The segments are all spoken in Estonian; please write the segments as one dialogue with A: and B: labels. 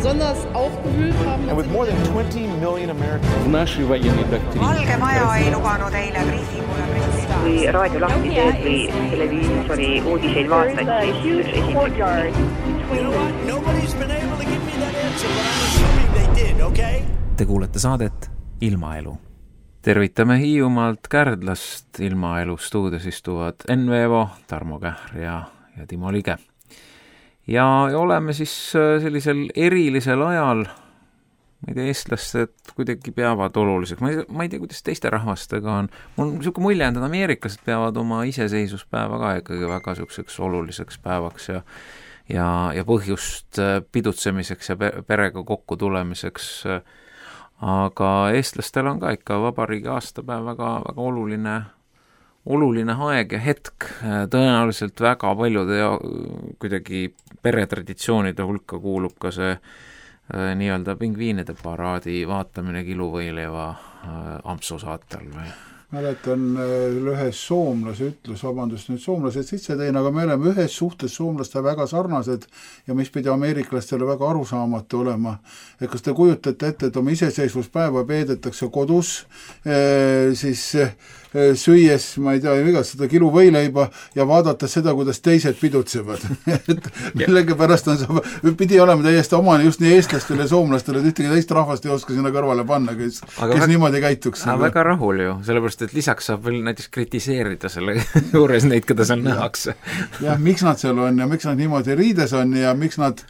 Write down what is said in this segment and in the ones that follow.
A: besonders aufgewühlt haben.
B: And with more than 20 million Americans.
C: В нашей военной доктрине.
D: Valge Maja ei lubanud eile briifingule president.
E: Kui raadio lahti teed või televiisori uudiseid vaatad, siis üks
B: Nobody's been able to give me that answer, but I'm assuming they did, okay?
F: Te kuulete saadet Ilmaelu. Tervitame Hiiumaalt Kärdlast. Ilmaelu stuudios istuvad Enn Veevo, Tarmo Kähr ja Timo Lige. Ja oleme siis sellisel erilisel ajal, ma ei tea, eestlased kuidagi peavad oluliseks. Ma ei tea, kuidas teiste rahvastega on. Mul on niisugune mulje, et ameeriklased peavad oma iseseisvuspäeva ka ikkagi väga niisuguseks oluliseks päevaks ja põhjust pidutsemiseks ja perega kokku tulemiseks. Aga eestlastel on ka ikka vabariigi aastapäev väga oluline aeg ja hetk. Tõenäoliselt väga paljude kuidagi peretraditsioonide hulka kuulub ka see nii-öelda pingviinide paraadi vaatamine Kiluvõileiva Ampsu saatel või?
G: Mäletan ühes soomlase ütlus, vabandust nüüd soomlased sisse tein, aga me oleme ühes suhtes soomlaste väga sarnased ja mis pidi ameeriklastele väga arusaamatu olema. Et kas te kujutate ette, et oma iseseisvuspäeva peedetakse kodus, siis süües, ma ei tea, seda kiluvõileiba ja vaadates seda, kuidas teised pidutsevad. Millegipärast pidi olema täiesti omane just nii eestlastele ja soomlastele, et ühtegi teist rahvast ei oska sinna kõrvale panna, kes niimoodi käituks.
F: Väga rahul ju, sellepärast, et lisaks saab veel näiteks kritiseerida selle juures neid, keda seal nähakse.
G: Jah, miks nad seal on ja miks nad niimoodi riides on ja miks nad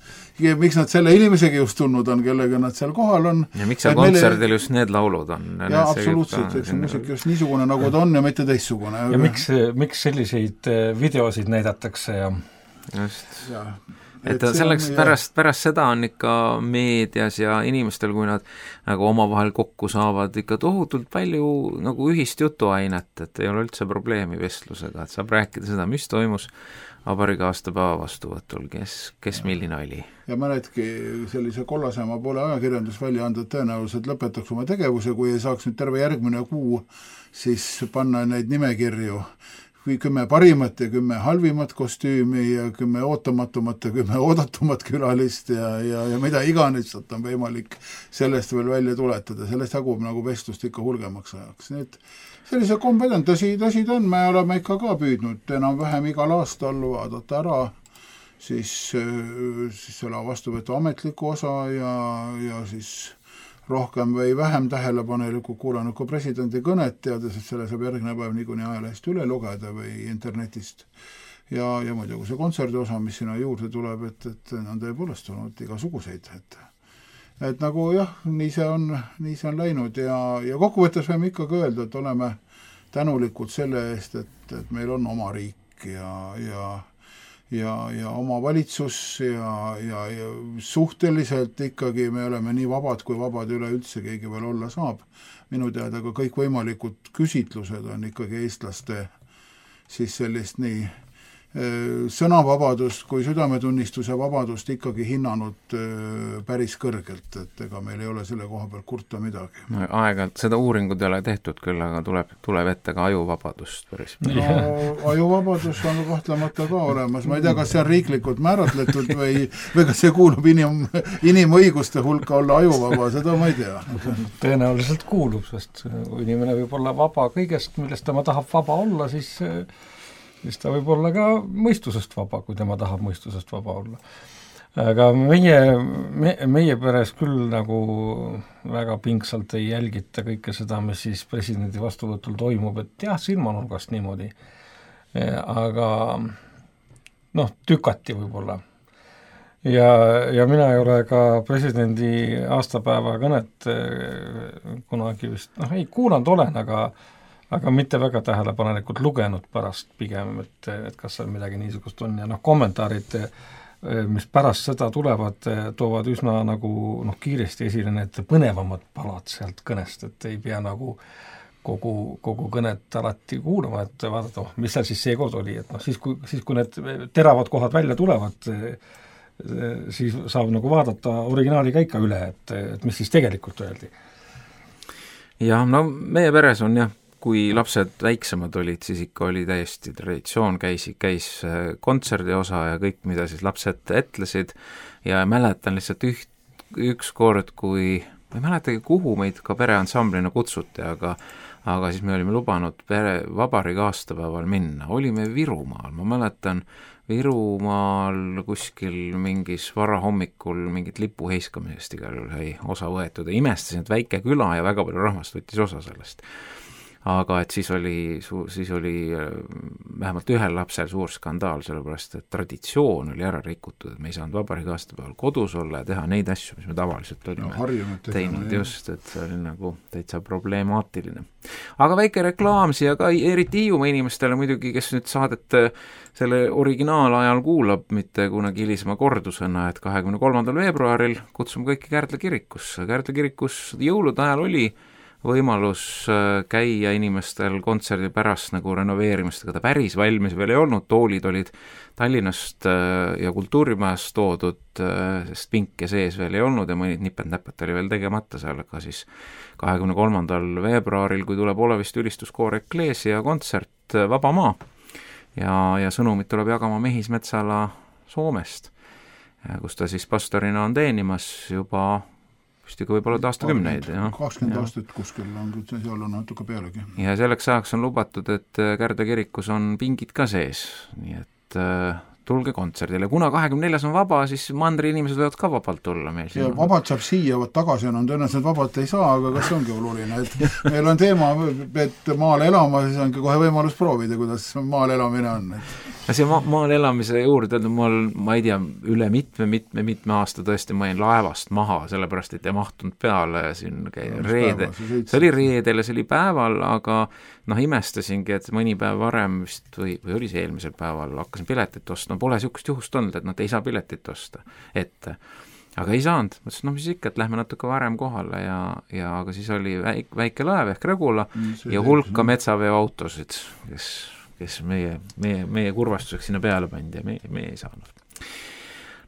G: selle inimesega just tulnud on, kellega nad seal kohal on.
F: Ja miks seal kontserdil just need laulud on?
G: Ja absoluutselt, eks muusik just niisugune nagu ta on ja mitte teistsugune.
H: Ja miks selliseid videosid näidatakse ja
F: just. Et selleks pärast seda on ikka meedias ja inimestel, kui nad nagu omavahel kokku saavad, ikka tohutult palju nagu ühist jutuainet, et ei ole üldse probleemi vestlusega, et saab rääkida seda, mis toimus vabariigi aastapäeva vastuvõtul, kes milline oli.
G: Ja mõnedki sellise kollasema poole ajakirjandusväljaanded tõenäoliselt lõpetaks oma tegevuse, kui ei saaks nüüd terve järgmine kuu siis panna neid nimekirju 10 parimat ja 10 halvimat kostüümi ja 10 ootamatumat ja 10 oodatumat külalist ja mida iganes on võimalik sellest veel välja tuletada. Sellest jagub nagu vestlust ikka hulgemaks ajaks. Nii et sellise kompetent, tõsi ta on, me oleme ikka ka püüdnud enam-vähem igal aastal vaadata ära siis selle vastuvõtu ametliku osa ja siis rohkem või vähem tähelepaneliku kuulanud kui presidendi kõnet, teades, et selle saab järgmine päev niikuinii ajalehest üle lugeda või internetist. Ja muidugi see kontserdi osa, mis sinna juurde tuleb, et on tõepoolest olnud igasuguseid. Et nagu jah, nii see on läinud ja kokkuvõttes võime ikkagi öelda, et oleme tänulikud selle eest, et meil on oma riik ja oma valitsus ja suhteliselt ikkagi me oleme nii vabad, kui vabad üleüldse keegi veel olla saab. Minu teada ka kõik võimalikud küsitlused on ikkagi eestlaste siis sellist nii sõnavabadust kui südametunnistuse vabadust ikkagi hinnanud päris kõrgelt, et ega meil ei ole selle koha peal kurta midagi.
F: Aeg-ajalt seda uuringud ei ole tehtud küll, aga tuleb ette ka ajuvabadust päris.
G: No, ajuvabadus on kahtlemata ka olemas. Ma ei tea, kas see on riiklikult määratletud või kas see kuulub inimõiguste hulka olla ajuvaba, seda ma ei tea.
H: Tõenäoliselt kuulub, sest kui inimene võib olla vaba kõigest, millest tema tahab vaba olla, siis ta võib olla ka mõistusest vaba, kui tema tahab mõistusest vaba olla. Aga meie peres küll nagu väga pingsalt ei jälgita kõike seda, mis siis presidendi vastuvõtul toimub, et jah, silmanurgast niimoodi. Aga tükati võib-olla. Ja mina ei ole ka presidendi aastapäeva kõnet kunagi vist, ei kuulanud olen, aga mitte väga tähelepanelikult lugenud pärast pigem, et kas seal midagi niisugust on ja kommentaarid, mis pärast seda tulevad, toovad üsna nagu kiiresti esile need põnevamad palad sealt kõnest, et ei pea nagu kogu kõnet alati kuulama, et vaadata, mis seal siis seekord oli, et siis kui need teravad kohad välja tulevad, siis saab nagu vaadata originaali ka ikka üle, et mis siis tegelikult öeldi.
F: Ja meie peres on kui lapsed väiksemad olid, siis ikka oli täiesti traditsioon, käis kontserdi osa ja kõik, mida siis lapsed etlesid ja mäletan lihtsalt üks kord, kui ma ei mäletagi, kuhu meid ka pereansamblina kutsuti, aga siis me olime lubanud vabariigi aastapäeval minna, olime Virumaal, ma mäletan Virumaal kuskil mingis varahommikul mingit lipu heiskamisest igal juhul sai osa võetud ja imestasin, et väike küla ja väga palju rahvast võttis osa sellest. Aga et siis oli vähemalt ühel lapsel suur skandaal, sellepärast et traditsioon oli ära rikutud, et me ei saanud vabariigi aastapäeval kodus olla ja teha neid asju, mis me tavaliselt olime teinud just, et see oli nagu täitsa problemaatiline. Aga väike reklaam siia ka, eriti Hiiumaa inimestele muidugi, kes nüüd saadet selle originaalajal kuulab, mitte kunagi hilisema kordusena, et 23. veebruaril kutsume kõiki Kärdla kirikusse. Kärdla kirikus jõulude ajal oli võimalus käia inimestel kontserdi pärast nagu renoveerimistega, ta päris valmis veel ei olnud, toolid olid Tallinnast ja Kultuurimajast toodud, sest pinke sees veel ei olnud ja mõnid nipet-näpet oli veel tegemata seal, aga siis 23. veebruaril, kui tuleb Oleviste ülistuskoor Ekleesia kontsert Vaba Maa ja sõnumit tuleb jagama Mehis Metsala Soomest, kus ta siis pastorina on teenimas juba ka võib-olla aastakümneid.
G: 20 aastat kuskil on, seal on natuke pealegi.
F: Ja selleks ajaks on lubatud, et Kärdla kirikus on pingid ka sees, nii et tulge kontserdile. Kuna 24. on vaba, siis mandri inimesed võivad ka vabalt tulla meil.
G: Ja vabalt saab siia, tagasi on tõenäoliselt vabalt ei saa, aga kas ongi oluline, et meil on teema, et maal elama, siis ongi kohe võimalus proovida, kuidas maal elamine on.
F: See maal elamise juurde, ma ei tea, üle mitme aasta tõesti ma jäin laevast maha, sellepärast et ei mahtunud peale siin reede. See oli reedel ja see oli päeval, aga imestasingi, et mõni päev varem vist või oli see eelmisel päeval, hakkasin piletit ostma, pole niisugust juhust olnud, et nad ei saa piletit osta ette. Aga ei saanud, mõtlesin, mis ikka, et lähme natuke varem kohale ja aga siis oli väike laev ehk Regula ja hulka metsaveoautosid, kes meie kurvastuseks sinna peale pandi ja me ei saanud.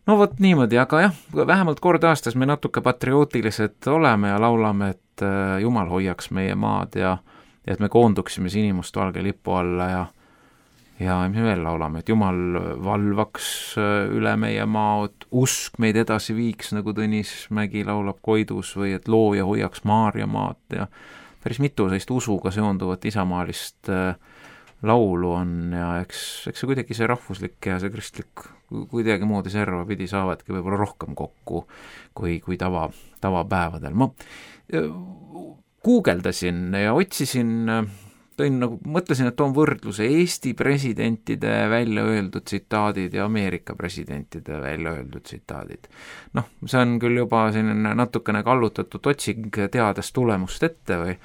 F: No vot niimoodi, aga jah, vähemalt kord aastas me natuke patriootilised oleme ja laulame, et Jumal hoiaks meie maad ja et me koonduksime sinimustvalge lipu alla ja mis me veel laulame, et Jumal valvaks üle meie maa, et usk meid edasi viiks, nagu Tõnis Mägi laulab Koidus või et looja hoiaks Maarja maad ja päris mitu sellist usuga seonduvat isamaalist laulu on ja eks see kuidagi see rahvuslik ja see kristlik kuidagi moodi serva pidi saavadki võib-olla rohkem kokku kui tavapäevadel. Ma guugeldasin ja otsisin, mõtlesin, et toon võrdluse Eesti presidentide välja öeldud tsitaadid ja Ameerika presidentide välja öeldud tsitaadid. See on küll juba selline natukene kallutatud otsing teades tulemust ette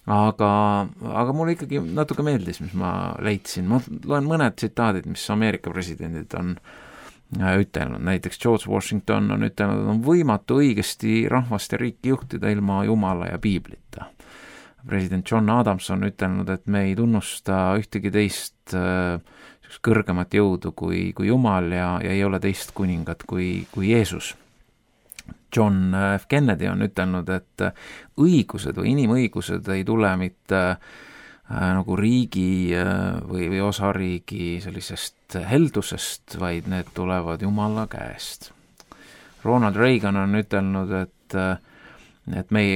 F: aga mulle ikkagi natuke meeldis, mis ma leidsin. Ma loen mõned tsitaadid, mis Ameerika presidendid on ütelnud. Näiteks George Washington on ütelnud, et on võimatu õigesti rahvast ja riiki juhtida ilma Jumala ja Piiblita. President John Adams on ütelnud, et me ei tunnusta ühtegi teist kõrgemat jõudu kui Jumal ja ei ole teist kuningat kui Jeesus. John F. Kennedy on ütelnud, et õigused või inimõigused ei tule mitte nagu riigi või osariigi sellisest heldusest, vaid need tulevad Jumala käest. Ronald Reagan on ütelnud, et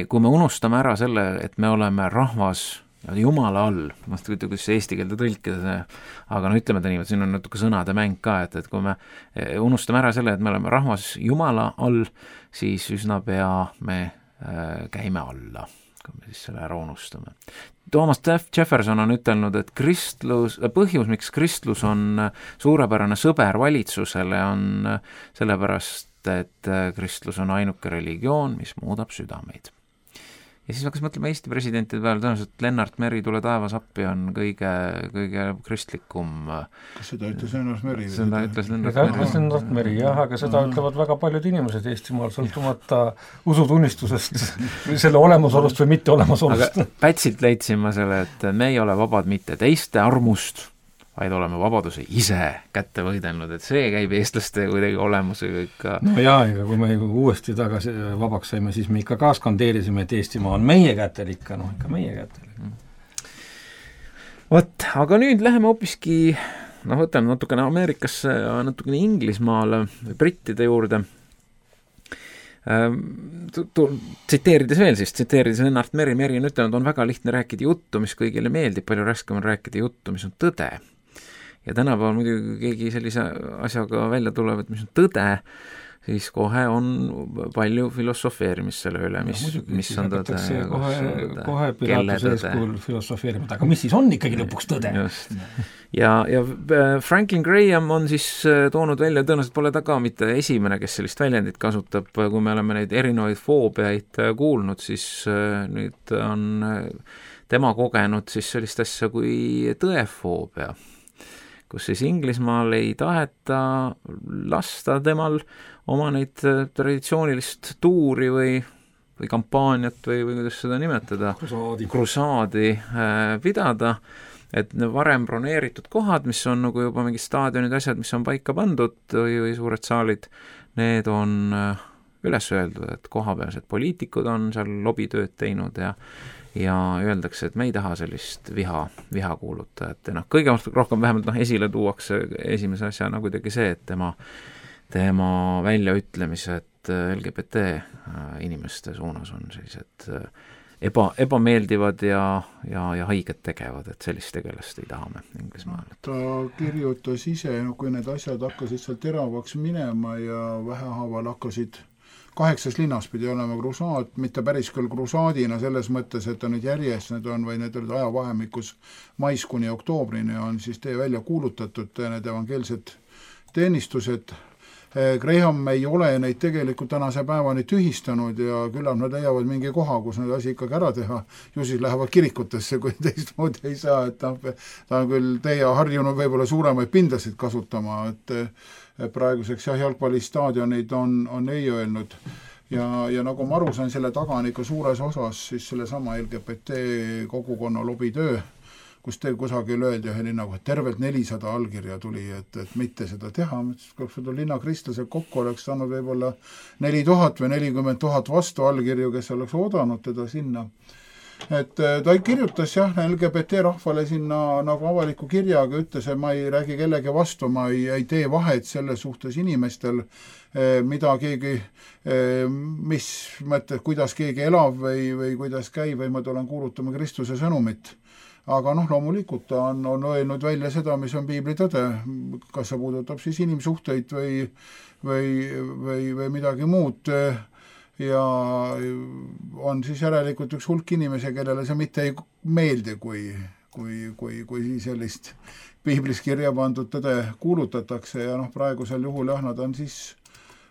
F: kui me unustame ära selle, et me oleme rahvas Jumala all, ma ei tea, kuidas eesti keelde tõlkida, aga ütleme ta niimoodi, siin on natuke sõnade mäng ka, et kui me unustame ära selle, et me oleme rahvas Jumala all, siis üsna pea me käime alla, kui me siis selle ära unustame. Thomas Jefferson on ütelnud, et põhjus, miks kristlus on suurepärane sõber valitsusele, on sellepärast, et kristlus on ainuke religioon, mis muudab südameid. Ja siis hakkas mõtlema Eesti presidentide peale, tõenäoliselt Lennart Meri tule taevas appi on kõige kristlikum.
G: Kas seda ütles Lennart Meri?
F: Seda ütles Lennart Meri,
H: jah, aga seda ütlevad väga paljud inimesed Eestimaal, sõltumata usutunnistusest, selle olemasolust või mitte olemasolust.
F: Aga Pätsilt leidsin ma selle, et me ei ole vabad mitte teiste armust, vaid oleme vabaduse ise kätte võidelnud, et see käib eestlaste kuidagi olemusega ikka.
H: No jaa, ega kui me uuesti tagasi vabaks saime, siis me ikka ka skandeerisime, et Eestimaa on meie kätel ikka, ikka meie kätel.
F: Vot, aga nüüd läheme hoopiski, võtame natukene Ameerikasse ja natukene Inglismaale, brittide juurde. tsiteerides veel siis, tsiteerides Lennart Meri on ütelnud, on väga lihtne rääkida juttu, mis kõigile meeldib, palju raskem on rääkida juttu, mis on tõde. Ja tänapäeval muidugi keegi sellise asjaga välja tuleb, et mis on tõde, siis kohe on palju filosofeerimist selle üle, mis on tõde.
H: Kohe Pilatuse eeskujul filosofeerima, aga mis siis on ikkagi lõpuks tõde?
F: Just. Ja Franklin Graham on siis toonud välja, tõenäoliselt pole ta ka mitte esimene, kes sellist väljendit kasutab, kui me oleme neid erinevaid foobiaid kuulnud, siis nüüd on tema kogenud siis sellist asja kui tõefoobia, kus siis Inglismaal ei taheta lasta temal oma neid traditsioonilist tuuri või kampaaniat või kuidas seda nimetada, krusaadi pidada, et varem broneeritud kohad, mis on nagu juba mingid staadionid, asjad, mis on paika pandud või suured saalid, need on üles öeldud, et kohapealsed poliitikud on seal lobitööd teinud ja öeldakse, et me ei taha sellist viha kuulutajat. Kõige rohkem vähemalt esile tuuakse esimese asjana kuidagi see, et tema väljaütlemised LGBT inimeste suunas on sellised ebameeldivad ja haiget tegevad, et sellist tegelast ei taha me Inglismaal.
G: Ta kirjutas ise, kui need asjad hakkasid seal teravaks minema ja vähehaaval hakkasid 8 linnas pidi olema krusaad, mitte päris küll krusaadina selles mõttes, et on nüüd järjest, need olid ajavahemikus mais kuni oktoobrini on siis välja kuulutatud need evangeelsed teenistused. Graham ei ole neid tegelikult tänase päevani tühistanud ja küllap nad leiavad mingi koha, kus need asi ikkagi ära teha. Ju siis lähevad kirikutesse, kui teistmoodi ei saa, et ta on küll harjunud võib-olla suuremaid pindasid kasutama, et praeguseks jalgpallistaadionid on ei öelnud. Ja nagu ma aru sain, selle taga on ikka suures osas siis sellesama LGBT kogukonna lobitöö, kus teil kusagil öeldi ühe linnaga, et tervelt 400 allkirja tuli, et mitte seda teha. Kui linna kristlased kokku oleks saanud võib-olla 4000 või 40 000 vastu allkirju, kes oleks oodanud teda sinna. Et ta kirjutas LGBT rahvale sinna nagu avaliku kirjaga, ütles, et ma ei räägi kellegi vastu, ma ei tee vahet selle suhtes inimestel, mida keegi, mis mõttes, kuidas keegi elab või kuidas käib, või ma tulen kuulutama Kristuse sõnumit. Aga loomulikult ta on öelnud välja seda, mis on piibli tõde, kas see puudutab siis inimsuhteid või midagi muud. Ja on siis järelikult üks hulk inimesi, kellele see mitte ei meeldi, kui sellist piiblis kirja pandud tõde kuulutatakse ja praegusel juhul nad on siis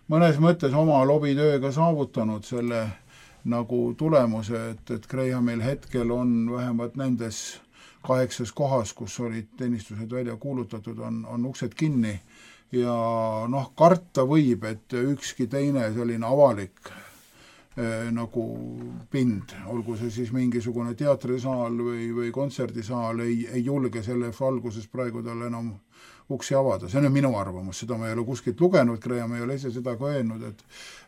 G: mõnes mõttes oma lobitööga saavutanud selle nagu tulemuse, et Grahamil hetkel on vähemalt nendes 8 kohas, kus olid teenistused välja kuulutatud, on uksed kinni ja karta võib, et ükski teine selline avalik nagu pind, olgu see siis mingisugune teatrisaal või kontserdisaal, ei julge selle valguses praegu talle enam uksi avada. See on minu arvamus, seda ma ei ole kuskilt lugenud, Graham ei ole ise seda ka öelnud,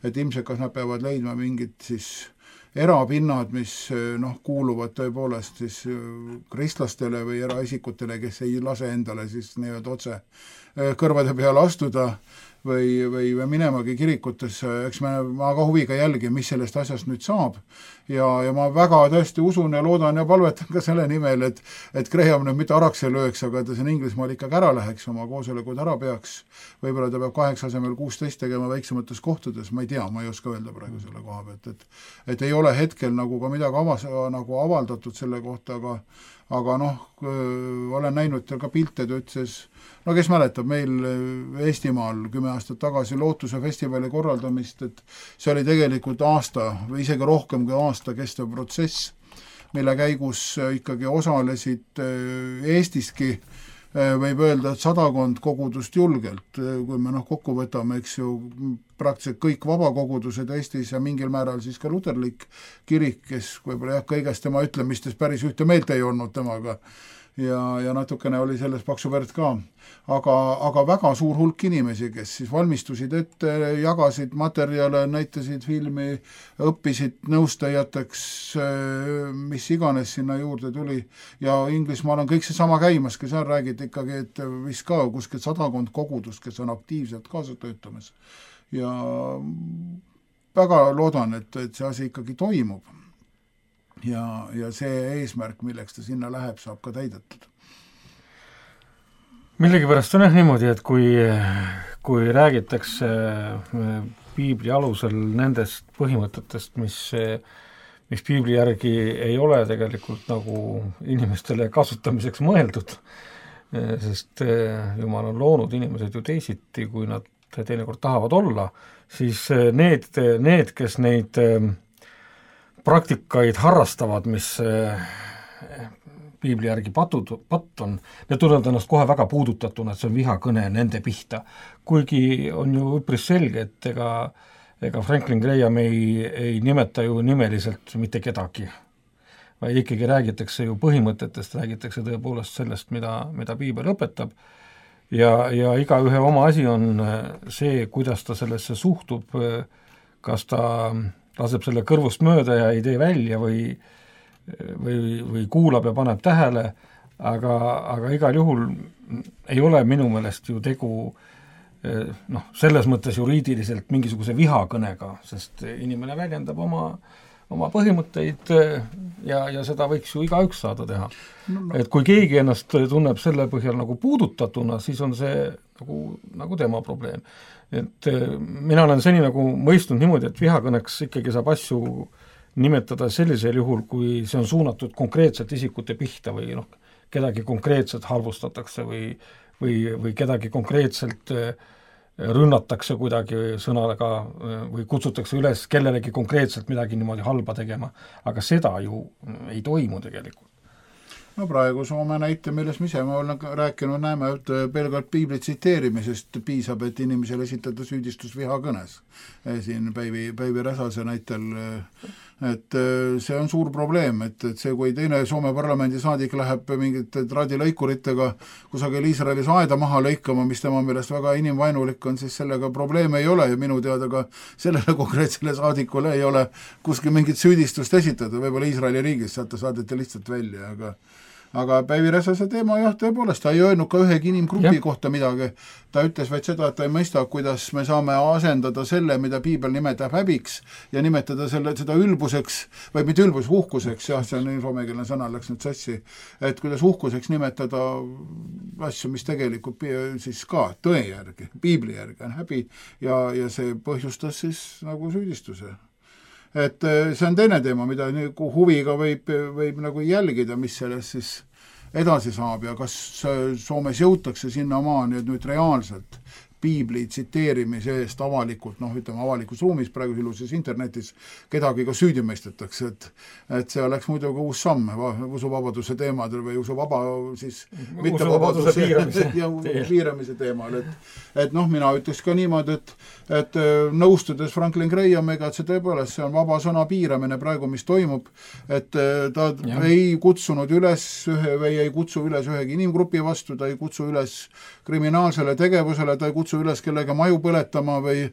G: et ilmselt kas nad peavad leidma mingid siis erapinnad, mis kuuluvad tõepoolest siis kristlastele või eraisikutele, kes ei lase endale siis nii-öelda otse kõrvade peale astuda või minemagi kirikutesse. Eks ma ka huviga jälgin, mis sellest asjast nüüd saab ja ma väga tõesti usun ja loodan ja palvetan ka selle nimel, et Graham nüüd mitte araks ei lööks, aga ta siin Inglismaal ikkagi ära läheks, oma koosolekud ära peaks. Võib-olla ta peab 8 asemel 16 tegema väiksemates kohtades, ma ei tea, ma ei oska öelda praegu selle koha pealt, et ei ole hetkel nagu ka midagi nagu avaldatud selle kohta, aga olen näinud ka pilte, ta ütles, kes mäletab meil Eestimaal 10 aastat tagasi Lootuse festivali korraldamist, et see oli tegelikult aasta või isegi rohkem kui aasta kestev protsess, mille käigus ikkagi osalesid Eestiski, võib öelda, et 100 kogudust julgelt, kui me kokku võtame, eks ju, praktiliselt kõik vabakogudused Eestis ja mingil määral siis ka luterlik kirik, kes võib-olla kõigest tema ütlemistes päris ühte meelt ei olnud temaga ja natukene oli selles paksu verd ka. Aga väga suur hulk inimesi, kes siis valmistusid ette, jagasid materjale, näitasid filmi, õppisid nõustajateks, mis iganes sinna juurde tuli. Ja Inglismaal on kõik see sama käimas, kes seal räägid ikkagi, et vist ka kuskilt 100 kogudust, kes on aktiivselt kaasa töötamas. Ja väga loodan, et see asi ikkagi toimub ja see eesmärk, milleks ta sinna läheb, saab ka täidetud.
H: Millegipärast on niimoodi, et kui räägitakse piibli alusel nendest põhimõtetest, mis piibli järgi ei ole tegelikult nagu inimestele kasutamiseks mõeldud, sest Jumal on loonud inimesed ju teisiti, kui nad teinekord tahavad olla, siis need, kes neid praktikaid harrastavad, mis piibli järgi patt on, need tunnevad ennast kohe väga puudutatuna, et see on vihakõne nende pihta. Kuigi on ju üpris selge, et ega Franklin Graham ei nimeta ju nimeliselt mitte kedagi, vaid ikkagi räägitakse ju põhimõtetest, räägitakse tõepoolest sellest, mida piibel õpetab ja igaühe oma asi on see, kuidas ta sellesse suhtub, kas ta laseb selle kõrvust mööda ja ei tee välja või kuulab ja paneb tähele, aga igal juhul ei ole minu meelest ju tegu selles mõttes juriidiliselt mingisuguse vihakõnega, sest inimene väljendab oma põhimõtteid ja seda võiks ju igaüks saada teha. Et kui keegi ennast tunneb selle põhjal nagu puudutatuna, siis on see nagu tema probleem. Et mina olen seni nagu mõistnud niimoodi, et vihakõneks ikkagi saab asju nimetada sellisel juhul, kui see on suunatud konkreetselt isikute pihta või kedagi konkreetselt halvustatakse või kedagi konkreetselt rünnatakse kuidagi sõnaga või kutsutakse üles kellelegi konkreetselt midagi niimoodi halba tegema, aga seda ju ei toimu tegelikult.
G: No praegu Soome näite, milles me ise olen rääkinud, näeme, et pelgalt piibli tsiteerimisest piisab, et inimesele esitada süüdistus vihakõnes. Siin Päivi Räsase näitel, et see on suur probleem, et see, kui teine Soome parlamendi saadik läheb mingite traadilõikuritega kusagil Iisraelis aeda maha lõikama, mis tema meelest väga inimvainulik on, siis sellega probleeme ei ole ja minu teada ka sellele konkreetsele saadikule ei ole kuskil mingit süüdistust esitada, võib-olla Iisraeli riigis sealt ta saadeti lihtsalt välja, aga Päivi Räsase teema jah, tõepoolest, ta ei öelnud ka ühegi inimgrupi kohta midagi, ta ütles vaid seda, et ta ei mõista, kuidas me saame asendada selle, mida piibel nimetab häbiks ja nimetada seda ülbuseks, või mitte ülbus, uhkuseks, jah, see on soomekeelne sõna, läks nüüd sassi, et kuidas uhkuseks nimetada asju, mis tegelikult siis ka tõe järgi, piibli järgi on häbi ja see põhjustas siis nagu süüdistuse. Et see on teine teema, mida huviga võib nagu jälgida, mis sellest siis edasi saab ja kas Soomes jõutakse sinna maani, et nüüd reaalselt piibli tsiteerimise eest avalikult, avalikus ruumis, praegu iluses internetis, kedagi ka süüdi mõistetakse, et see oleks muidugi uus samm usuvabaduse teemadel või
H: usuvabaduse
G: piiramise teemal, et mina ütleks ka niimoodi, et nõustudes Franklin Grahamiga, et see tõepoolest, see on vaba sõna piiramine praegu, mis toimub, et ta ei kutsunud üles või ei kutsu üles ühegi inimgrupi vastu, ta ei kutsu üles kriminaalsele tegevusele, ta ei kutsu üles kellega maju põletama või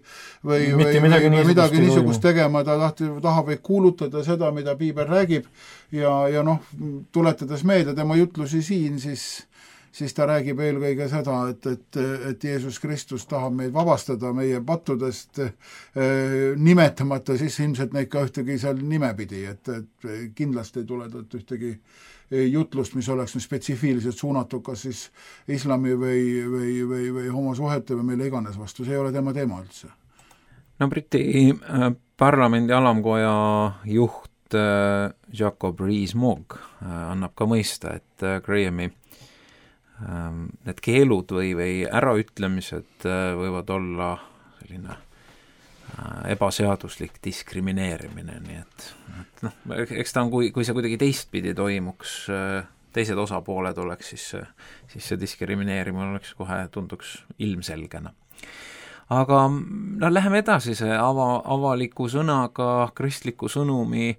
G: midagi niisugust tegema, ta tahab kuulutada seda, mida piibel räägib ja tuletades meelde tema jutlusi siin, siis ta räägib eelkõige seda, et Jeesus Kristus tahab meid vabastada meie pattudest, nimetamata siis ilmselt neid ka ühtegi seal nimepidi, et kindlasti ei tule ühtegi jutlust, mis oleks spetsiifiliselt suunatud kas siis islami või homosuhete või mille iganes vastu, see ei ole tema teema üldse.
F: No Briti parlamendi alamkoja juht Jacob Rees-Mogg annab ka mõista, et Grahami need keelud või äraütlemised võivad olla selline ebaseaduslik diskrimineerimine, nii et eks ta on, kui see kuidagi teistpidi toimuks, teised osapooled oleks, siis see diskrimineerimine oleks kohe, tunduks ilmselgena. Aga läheme edasi see avaliku sõnaga, kristliku sõnumi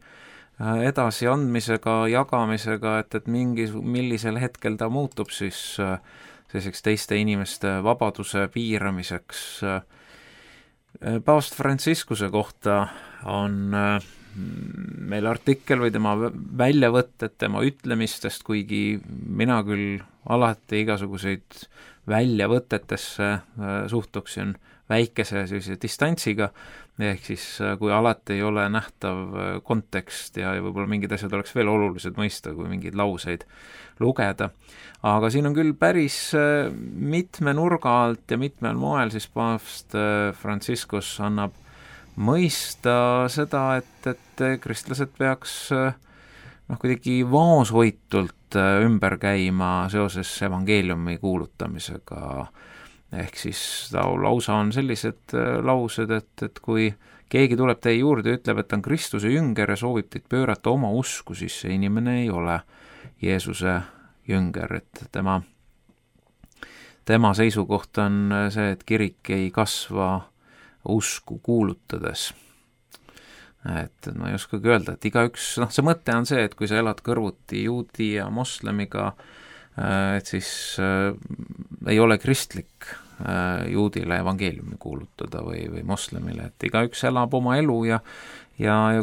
F: edasiandmisega, jagamisega, et millisel hetkel ta muutub siis selliseks teiste inimeste vabaduse piiramiseks. Paavst Franciscuse kohta on meil artikkel või tema väljavõtted tema ütlemistest, kuigi mina küll alati igasuguseid väljavõtetesse suhtuksin väikese sellise distantsiga, ehk siis kui alati ei ole nähtav kontekst ja võib-olla mingid asjad oleks veel olulised mõista, kui mingeid lauseid lugeda. Aga siin on küll päris mitme nurga alt ja mitmel moel siis paavst Franciscus annab mõista seda, et kristlased peaks kuidagi vaoshoitult ümber käima seoses evangeeliumi kuulutamisega. Ehk siis lausa on sellised laused, et kui keegi tuleb teie juurde ja ütleb, et ta on Kristuse jünger ja soovib teid pöörata oma usku, siis see inimene ei ole Jeesuse jünger, et tema seisukoht on see, et kirik ei kasva usku kuulutades. Et ma ei oskagi öelda, et igaüks, see mõte on see, et kui sa elad kõrvuti juudi ja moslemiga, et siis ei ole kristlik juudile evangeeliumi kuulutada või moslemile, et igaüks elab oma elu ja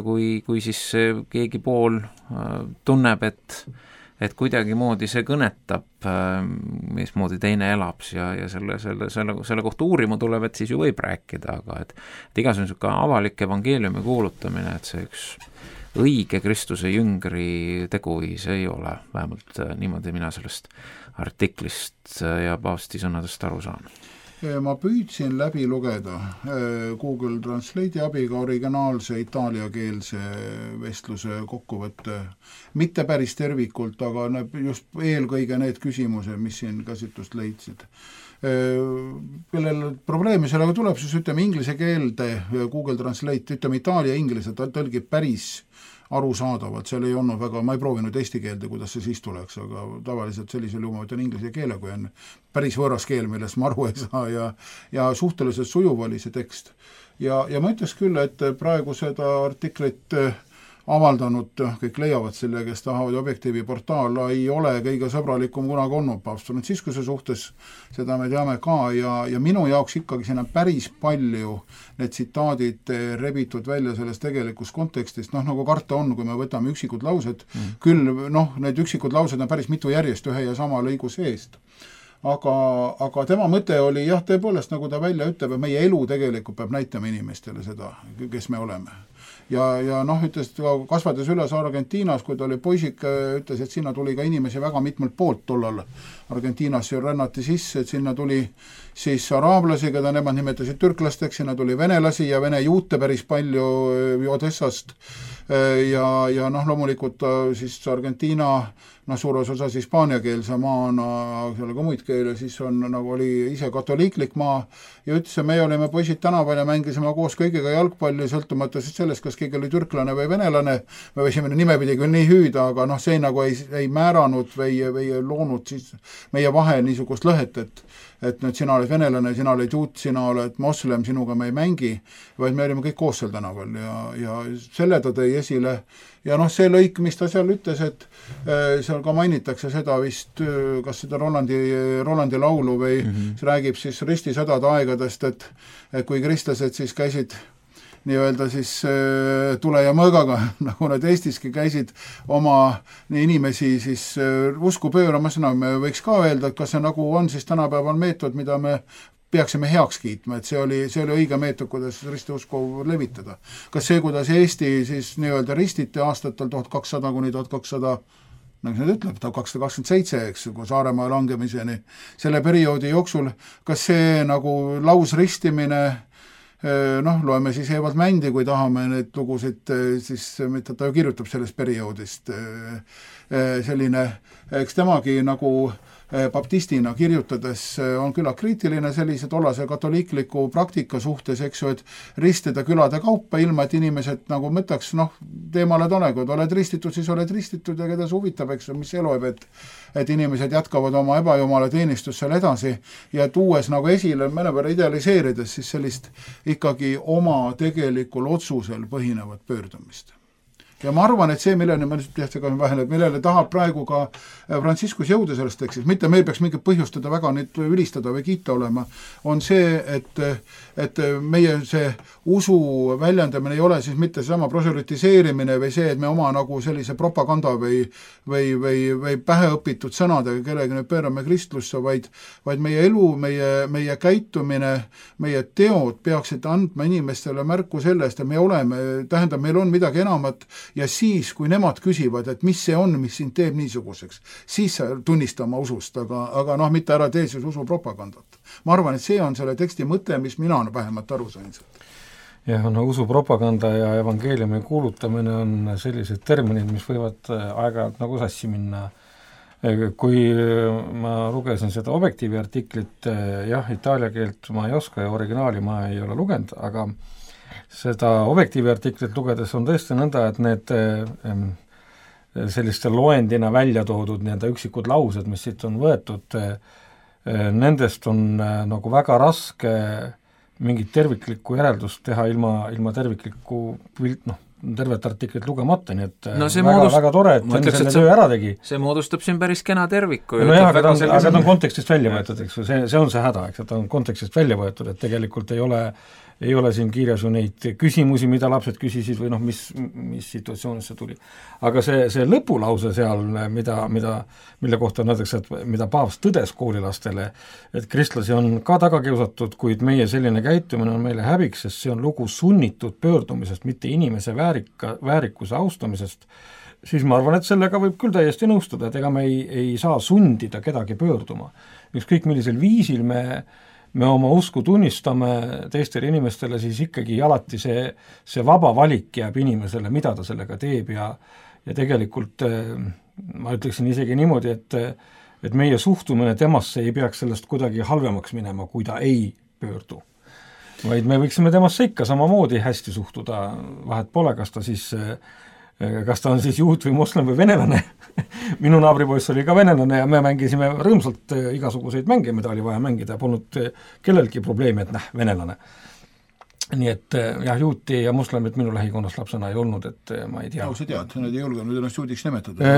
F: kui siis keegi pool tunneb, et kuidagimoodi see kõnetab, mismoodi teine elab ja selle kohta uurima tuleb, et siis ju võib rääkida, aga et igasugune avalik evangeeliumi kuulutamine, et see üks õige Kristuse jüngri teguviis ei ole, vähemalt niimoodi mina sellest artiklist ja paavsti sõnadest aru saan.
G: Ma püüdsin läbi lugeda Google Translate'i abiga originaalse itaaliakeelse vestluse kokkuvõtte, mitte päris tervikult, aga just eelkõige need küsimused, mis siin käsitlust leidsid. Kellel probleemi sellega tuleb, siis ütleme inglise keelde Google Translate, ütleme itaalia inglise, ta tõlgib päris arusaadavalt, seal ei olnud väga, ma ei proovinud eesti keelde, kuidas see siis tuleks, aga tavaliselt sellisel juhul ma ütlen inglise keele, kui on päris võõras keel, millest ma aru ei saa ja suhteliselt sujuv oli see tekst. Ja ma ütleks küll, et praegu seda artiklit avaldanud, kõik leiavad selle, kes tahavad Objektiivi portaal, ei ole kõige sõbralikum kunagi olnud paavst Franciscuse suhtes, seda me teame ka ja minu jaoks ikkagi siin on päris palju need tsitaadid rebitud välja sellest tegelikust kontekstist, nagu karta on, kui me võtame üksikud laused, küll need üksikud laused on päris mitu järjest ühe ja sama lõigu seest. Aga tema mõte oli jah, tõepoolest, nagu ta välja ütleb, et meie elu tegelikult peab näitama inimestele seda, kes me oleme. Ja ütles, kasvades üles Argentiinas, kui ta oli poisik, ütles, et sinna tuli ka inimesi väga mitmelt poolt tollal. Argentiinas rännati sisse, et sinna tuli siis araablasi, keda nemad nimetasid türklasteks, sinna tuli venelasi ja vene juute päris palju Odessast ja loomulikult siis Argentiina suures osas hispaaniakeelse maana, seal ka muid keele, siis on nagu oli ise katoliiklik maa ja ütles, et me olime poisid tänaval ja mängisime koos kõigiga jalgpalli, sõltumata sellest, kas keegi oli türklane või venelane, me võisime nimepidi küll nii hüüda, aga see nagu ei määranud või ei loonud siis meie vahel niisugust lõhet, et nüüd sina oled venelane, sina oled juut, sina oled moslem, sinuga me ei mängi, vaid me olime kõik koos seal tänaval ja selle ta tõi esile ja see lõik, mis ta seal ütles, et seal ka mainitakse seda vist, kas seda Rolandi laulu või see räägib siis ristisõdade aegadest, et kui kristlased siis käisid nii-öelda siis tule ja mõõgaga, nagu nad Eestiski käisid oma inimesi siis usku pööramas, me võiks ka öelda, et kas see nagu on siis tänapäeval meetod, mida me peaksime heaks kiitma, et see oli õige meetod, kuidas ristiusku levitada. Kas see, kuidas Eesti siis nii-öelda ristiti aastatel 1200 kuni 1200, nagu see ütleb, 1227, eks, kui Saaremaa langemiseni, selle perioodi jooksul, kas see nagu lausristimine loeme siis Evald Mändi, kui tahame neid lugusid, siis mida ta ju kirjutab sellest perioodist, selline, eks temagi nagu baptistina kirjutades on küla kriitiline sellise tollase katoliikliku praktika suhtes, eks ju, et ristida külade kaupa, ilma et inimesed nagu mõtleks, teemale tole, kui oled ristitud, siis oled ristitud ja keda see huvitab, eks ju, mis elu et inimesed jätkavad oma ebajumala teenistust seal edasi ja tuues nagu esile, mõnevõrra idealiseerides siis sellist ikkagi oma tegelikul otsusel põhinevat pöördumist. ja ma arvan, et see, millele ma millele tahab praegu ka Franciscus jõuda selles tekstis, mitte meil peaks mingit põhjustada väga neid ülistada või kiita olema, on see, et meie see usu väljendamine ei ole siis mitte seesama proselütiseerimine või see, et me oma nagu sellise propaganda või päheõpitud sõnadega kellegi nüüd pöörame kristlusse, vaid meie elu, meie käitumine, meie teod peaksid andma inimestele märku sellest, et meil on midagi enamat ja siis, kui nemad küsivad, et mis see on, mis sind teeb niisuguseks, siis tunnistama usust, aga mitte ära tee siis usupropagandat. Ma arvan, et see on selle teksti mõte, mis mina vähemalt aru sain.
H: Jah, no usupropaganda ja evangeeliumi kuulutamine on sellised terminid, mis võivad aeg-ajalt nagu sassi minna. Kui ma lugesin seda Objektiivi artiklit, jah, itaalia keelt ma ei oska ja originaali ma ei ole lugenud, aga seda Objektiivi artiklit lugedes on tõesti nõnda, et need selliste loendina välja toodud üksikud laused, mis siit on võetud, nendest on nagu väga raske mingit terviklikku järeldust teha ilma terviklikku tervet artiklit lugemata, nii et no väga tore, et Enn selle töö ära tegi.
F: See moodustab siin päris kena terviku.
H: No jah, aga ta on kontekstist välja võetud, eks see on see häda, eks ta on kontekstist välja võetud, et tegelikult ei ole siin kirjas ju neid küsimusi, mida lapsed küsisid või mis situatsioonis see tuli. Aga see lõpulause seal, mille kohta näiteks, et mida paavst tõdes koolilastele, et kristlasi on ka taga kiusatud, kuid meie selline käitumine on meile häbiks, sest see on lugu sunnitud pöördumisest, mitte inimese väärikuse austamisest, siis ma arvan, et sellega võib küll täiesti nõustuda, et ega me ei saa sundida kedagi pöörduma. Ükskõik millisel viisil me oma usku tunnistame teistele inimestele, siis ikkagi alati see vaba valik jääb inimesele, mida ta sellega teeb ja tegelikult ma ütleksin isegi niimoodi, et meie suhtumine temasse ei peaks sellest kuidagi halvemaks minema, kui ta ei pöördu. Vaid me võiksime temasse ikka samamoodi hästi suhtuda, vahet pole, kas ta on siis juut või moslem või venelane. Minu naabripoiss oli ka venelane ja me mängisime rõõmsalt igasuguseid mänge, mida oli vaja mängida, polnud kellelgi probleemi, et venelane. Nii et jah, juuti ja moslemit minu lähikonnas lapsena ei olnud, et ma ei tea.
G: No, sa tead, need ei julgenud ennast juudiks nimetada.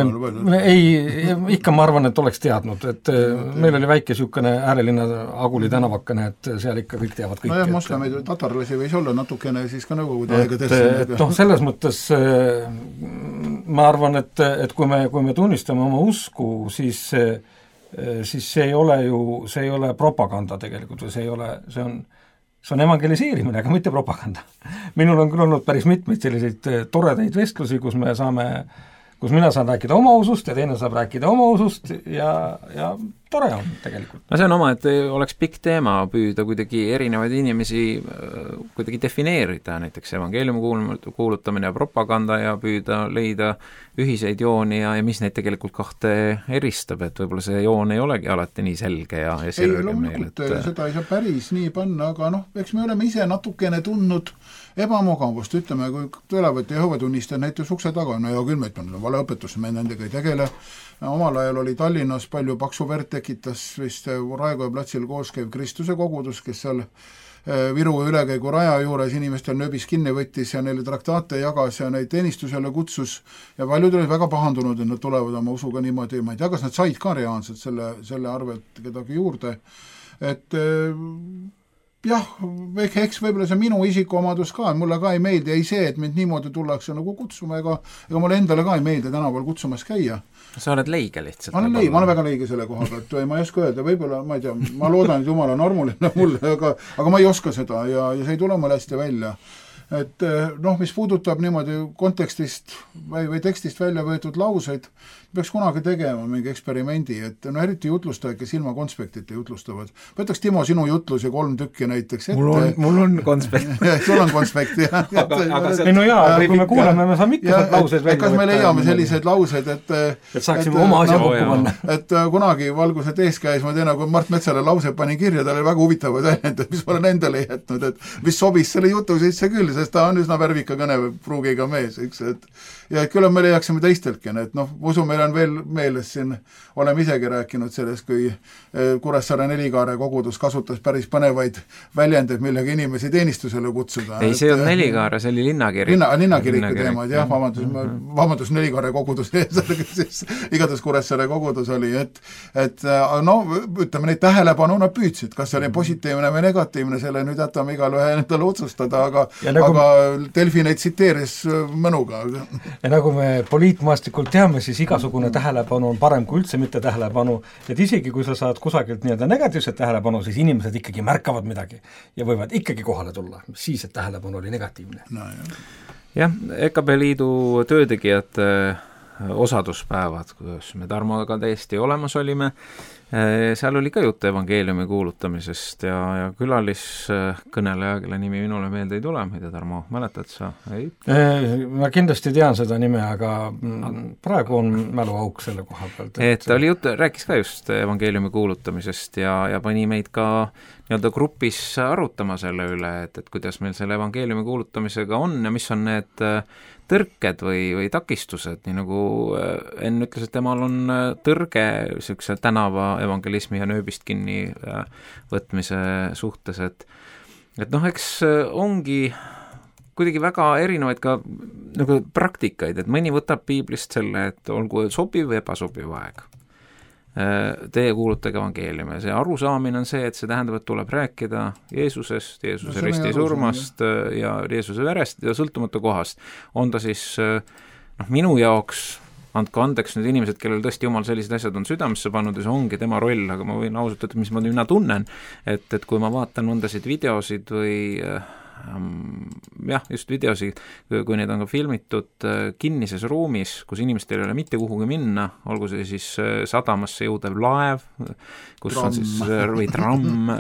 H: Ikka ma arvan, et oleks teadnud, et meil oli väike niisugune äärelinna Aguli tänavakene, et seal ikka kõik teavad kõik.
G: No jah, moslemeid tatarlasi võis olla natukene siis ka nõukogude aegadest.
H: Selles mõttes ma arvan, et kui me tunnistame oma usku, siis see ei ole propaganda tegelikult või see on evangeliseerimine, aga mitte propaganda. Minul on küll olnud päris mitmeid selliseid toredaid vestlusi, kus mina saan rääkida oma usust ja teine saab rääkida oma usust ja tore on tegelikult.
F: No see on oma, et oleks pikk teema püüda kuidagi erinevaid inimesi kuidagi defineerida, näiteks evangeeliumi kuulutamine ja propaganda ja püüda leida ühiseid jooni ja mis neid tegelikult kahte eristab, et võib-olla see joon ei olegi alati nii selge ja selge meil.
G: Seda ei saa päris nii panna, aga eks me oleme ise natukene tundnud ebamugavust, ütleme, kui tulevad Jehoova tunnistajad näiteks ukse taga, no ja küll meid on valeõpetus, me nendega ei tegele. Omal ajal oli Tallinnas palju paksu verd tekitas vist Raekoja platsil koos käiv Kristuse kogudus, kes seal Viru ülekäigu raja juures inimestel nööbis kinni võttis ja neile traktaate jagas ja neid teenistusele kutsus ja paljud olid väga pahandunud, et nad tulevad oma usuga niimoodi, ma ei tea, kas nad said ka reaalselt selle arvelt kedagi juurde, et jah, eks võib-olla see minu isikuomadus ka, mulle ka ei meeldi, ei see, et mind niimoodi tullakse nagu kutsuma, ega mulle endale ka ei meeldi tänaval kutsumas käia.
F: Sa oled leige lihtsalt?
G: Ma olen väga leige selle koha pealt, ma ei oska öelda, võib-olla, ma ei tea, ma loodan, et Jumal on armuline mulle, aga ma ei oska seda ja see ei tule mulle hästi välja. Et mis puudutab niimoodi kontekstist või tekstist välja võetud lauseid, peaks kunagi tegema mingi eksperimendi, et eriti jutlustajad, kes ilma konspektita jutlustavad. Võtaks Timo sinu jutlusi 3 tükki näiteks ette.
F: Mul on konspekt.
G: Sul on konspekt, jah.
H: No jaa, kui me kuuleme, me saame ikka lauseid välja.
G: Kas me leiame selliseid lauseid, et
H: saaksime oma asja kokku panna.
G: Et kunagi valguse tees käis, ma tean, kui Mart Metsale lause pani kirja, tal oli väga huvitavad väljendid, mis ma olen endale jätnud, et mis sobis selle jutu sisse küll, sest ta on üsna värvika kõnepruugiga mees, eks, et ja et küll me leiaksime teisteltki, et noh, usu, meil on veel meeles siin, oleme isegi rääkinud sellest, kui Kuressaare Nelikaare kogudus kasutas päris põnevaid väljendeid, millega inimesi teenistusele kutsuda.
F: Ei, see on Nelikaare, see oli linnakirik.
G: Linnakiriku teemad, jah, vabandus Nelikaare kogudus, igatahes Kuressaare kogudus oli, et no ütleme, neid tähelepanu nad püüdsid, kas see oli positiivne või negatiivne, selle nüüd jätame igal ühe endale otsustada, aga Delfi neid tsiteeris mõnuga.
H: Ja nagu me poliitmaastikul teame, siis igasugune tähelepanu on parem kui üldse mitte tähelepanu, et isegi kui sa saad kusagilt nii-öelda negatiivset tähelepanu, siis inimesed ikkagi märkavad midagi ja võivad ikkagi kohale tulla, siis et tähelepanu oli negatiivne.
G: No,
F: jah, EKP Liidu töötegijate osaduspäevad, kuidas me Tarmoga täiesti olemas olime, seal oli ka juttu evangeeliumi kuulutamisest ja külaliskõneleja, kelle nimi minule meelde ei tule, ma ei tea, Tarmo, mäletad sa? Ei?
H: Ma kindlasti tean seda nime, aga praegu on mäluauk selle koha pealt.
F: Et ta oli juttu, rääkis ka just evangeeliumi kuulutamisest ja pani meid ka nii-öelda grupis arutama selle üle, et kuidas meil selle evangeeliumi kuulutamisega on ja mis on need tõrked või takistused, nii nagu Enn ütles, et temal on tõrge niisuguse tänava evangelismi ja nööbist kinni võtmise suhtes, et noh, eks ongi kuidagi väga erinevaid ka nagu praktikaid, et mõni võtab piiblist selle, et olgu sobiv või ebasobiv aeg. Teie kuulutage evangeeliumi. See arusaamine on see, et see tähendab, et tuleb rääkida Jeesusest, Jeesuse risti surmast ja Jeesuse verest ja sõltumatu kohast. On ta siis, minu jaoks, andke andeks need inimesed, kellel tõesti jumal sellised asjad on südamesse pannud ja see ongi tema roll, aga ma võin ausalt öelda, mis ma mina tunnen, et kui ma vaatan mõndasid videosid või jah, just videosid, kui neid on ka filmitud kinnises ruumis, kus inimestel ei ole mitte kuhugi minna, olgu see siis sadamasse jõudev laev, kus tramm. On siis või tramm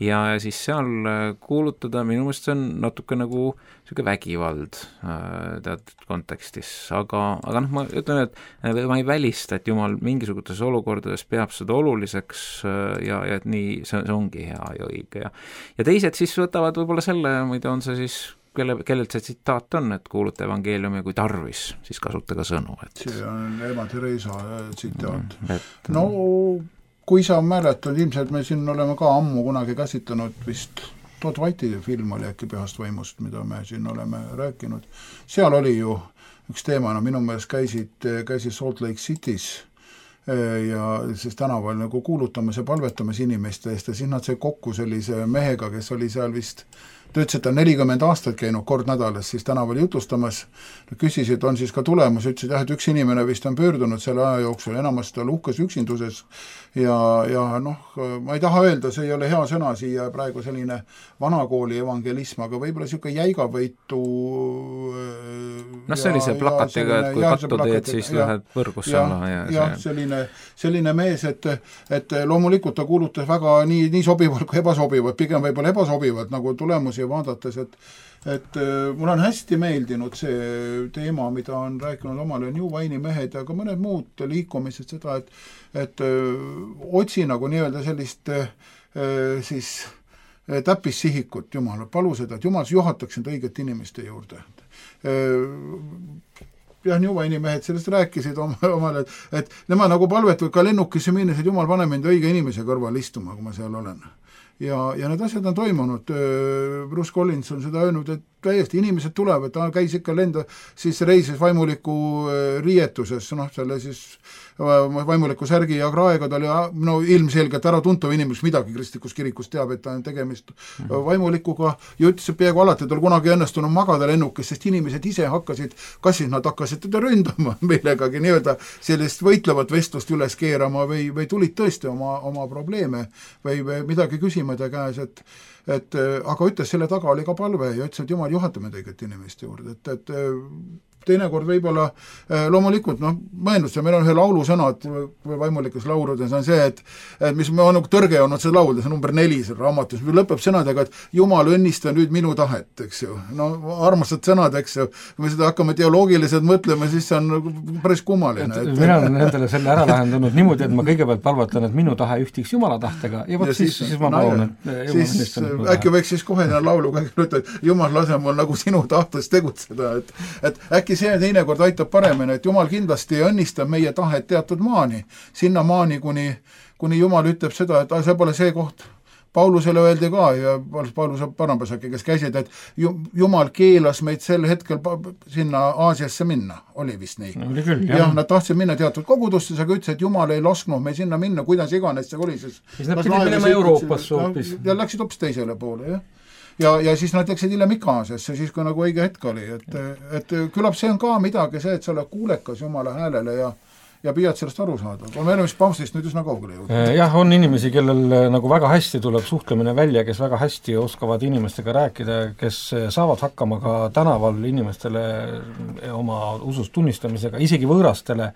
F: ja siis seal kuulutada, minu meelest see on natuke nagu selline vägivald teatud kontekstis, aga noh, ma ütlen, et ma ei välista, et Jumal mingisugustes olukordades peab seda oluliseks ja et nii see ongi hea ja õige ja teised siis võtavad võib-olla selle, mida on see siis, kellelt see tsitaat on, et kuuluta evangeeliumi kui tarvis, siis kasutage sõnu.
G: See on Ema Teresa tsitaat. No, kui sa mäletad, ilmselt me siin oleme ka ammu kunagi käsitlenud vist Todd White'i film oli äkki Pühast võimust, mida me siin oleme rääkinud. Seal oli ju üks teema, minu meelest käisid Salt Lake City's ja siis tänaval nagu kuulutamas ja palvetamas inimeste eest ja siis nad sai kokku sellise mehega, kes oli seal vist ta ütles, et ta 40 aastat käinud kord nädalas siis tänaval jutustamas, küsisid, on siis ka tulemus, ütlesid jah, et üks inimene vist on pöördunud selle aja jooksul, enamasti tal uhkes üksinduses ja noh, ma ei taha öelda, see ei ole hea sõna siia praegu selline vanakooli evangelism, aga võib-olla niisugune jäigavõitu
F: sellise plakatiga, et kui pattu teed, siis lähed võrgusse alla
G: ja selline mees, et loomulikult ta kuulutas väga nii sobivalt kui ebasobivalt, pigem võib-olla ebasobivalt nagu tulemusi vaadates, et mul on hästi meeldinud see teema, mida on rääkinud omal New Wine'i mehed ja ka mõned muud liikumised seda, et otsi nagu nii-öelda sellist siis täppissihikut Jumal, palu seda, et Jumal juhataks end õigete inimeste juurde. Jah, New Wine'i mehed sellest rääkisid omale, et nemad nagu palvetavad ka lennukisse minnes, et Jumal pane mind õige inimese kõrval istuma, kui ma seal olen. Ja need asjad on toimunud. Bruce Collins on seda öelnud, et täiesti inimesed tulevad, ta käis ikka lenda, siis reisis vaimuliku riietuses, selle siis vaimuliku särgi ja kraega, ta oli ilmselgelt ära tuntav inimes, midagi kristlikus kirikus teab, et ta on tegemist vaimulikuga ja ütles, et peaaegu alati tal kunagi õnnestunud magada lennukis, sest inimesed ise hakkasid, kas siis nad hakkasid teda ründama millegagi nii-öelda sellist võitlevat vestlust üles keerama või tulid tõesti oma probleeme või midagi küsima ta käes, aga ütles, selle taga oli ka palve ja ütles, et Jumal juhatab meid õiget inimeste juurde, et teinekord võib-olla loomulikult, mõendus, meil on ühe laulusõnad vaimulikes lauludes on see, et mis me on nagu tõrge olnud see laulda, see number 4 seal raamatus, lõpeb sõnadega, et Jumal, õnnista nüüd minu tahet, eks ju. No armastad sõnad, eks ju, kui me seda hakkame teoloogiliselt mõtlema, siis see on päris kummaline.
H: Mina olen nendele selle ära lahendanud niimoodi, et ma kõigepealt palvatan, et minu tahe ühtiks Jumala tahtega ja võt siis ma palun, et
G: siis äkki võiks siis kohe laulu ütelda, et Jumal lase mul nagu sinu tahtes tegutseda, et äkki see teinekord aitab paremini, et Jumal kindlasti õnnistab meie tahet teatud maani, sinna maani, kuni Jumal ütleb seda, et see pole see koht. Paulusele öeldi ka ja Paulus Barnabas äkki, kes käisid, et Jumal keelas meid sel hetkel sinna Aasiasse minna, oli vist nii.
H: Oli küll,
G: jah, nad tahtsid minna teatud kogudustes, aga ütles, et Jumal ei lasknud meil sinna minna, kuidas iganes see oli.
H: Siis nad pidid minema Euroopasse hoopis.
G: Ja läksid hoopis teisele poole, jah. Ja siis nad läksid hiljem Ikaasiasse, siis kui nagu õige hetk oli, et küllap see on ka midagi see, et sa oled kuulekas Jumala häälele ja püüad sellest aru saada. Me oleme vist paavstist nüüd üsna kaugele jõudnud.
H: Jah, on inimesi, kellel nagu väga hästi tuleb suhtlemine välja, kes väga hästi oskavad inimestega rääkida, kes saavad hakkama ka tänaval inimestele oma usust tunnistamisega, isegi võõrastele,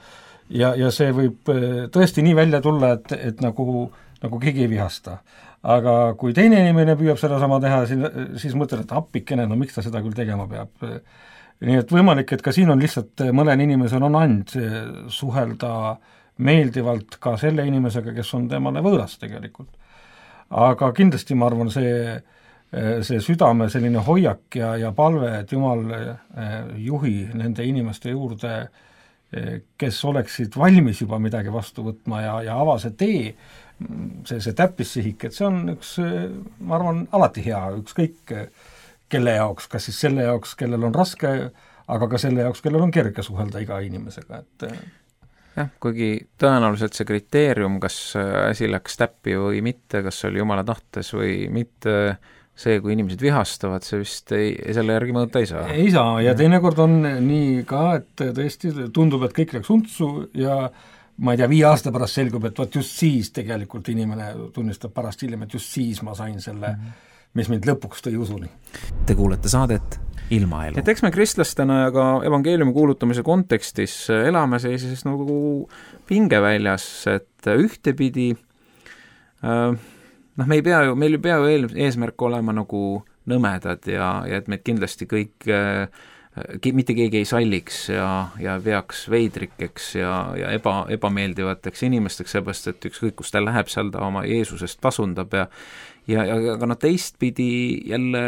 H: ja see võib tõesti nii välja tulla, et nagu keegi ei vihasta. Aga kui teine inimene püüab seda sama teha, siis mõtled, et appikene, miks ta seda küll tegema peab. Nii et võimalik, et ka siin on lihtsalt mõnel inimesel on and suhelda meeldivalt ka selle inimesega, kes on temale võõras tegelikult. Aga kindlasti ma arvan, see südame selline hoiak ja palve, et Jumal juhi nende inimeste juurde, kes oleksid valmis juba midagi vastu võtma ja ava see tee, see täppissihik, et see on üks, ma arvan, alati hea, ükskõik kelle jaoks, kas siis selle jaoks, kellel on raske, aga ka selle jaoks, kellel on kerge suhelda iga inimesega, et
F: jah, kuigi tõenäoliselt see kriteerium, kas asi läks täppi või mitte, kas oli Jumala tahtes või mitte, see, kui inimesed vihastavad, see vist selle järgi mõõta ei saa.
H: Ei saa, ja teinekord on nii ka, et tõesti tundub, et kõik läks untsu ja ma ei tea, 5 aasta pärast selgub, et võt just siis tegelikult inimene tunnistab pärast hiljem, et just siis ma sain selle mis mind lõpuks tõi usuni.
F: Te kuulete saadet Ilmaelu. Et eks me kristlastena ja ka evangeeliumi kuulutamise kontekstis elame sellises nagu pingeväljas, et ühtepidi meil ei pea ju eesmärk olema nagu nõmedad ja et meid kindlasti kõik mitte keegi ei salliks ja veaks veidrikeks ja ebameeldivateks inimesteks, seepärast, et ükskõik, kus ta läheb, seal ta oma Jeesusest pasundab ja teistpidi jälle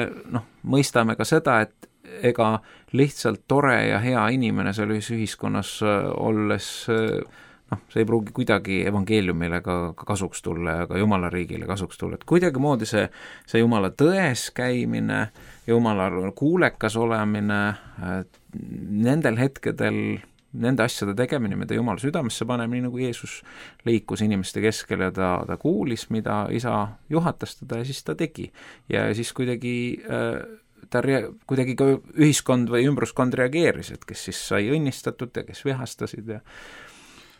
F: mõistame ka seda, et ega lihtsalt tore ja hea inimene selles ühiskonnas olles see ei pruugi kuidagi evangeeliumile ka kasuks tulla ja ka Jumala riigile kasuks tulla, et kuidagimoodi see Jumala tões käimine, Jumala kuulekas olemine, nendel hetkedel nende asjade tegemine, mida Jumal südamesse paneb, nii nagu Jeesus liikus inimeste keskel ja ta kuulis, mida isa juhatas teda ja siis ta tegi. Ja siis kuidagi ka ühiskond või ümbruskond reageeris, et kes siis sai õnnistatud ja kes vihastasid ja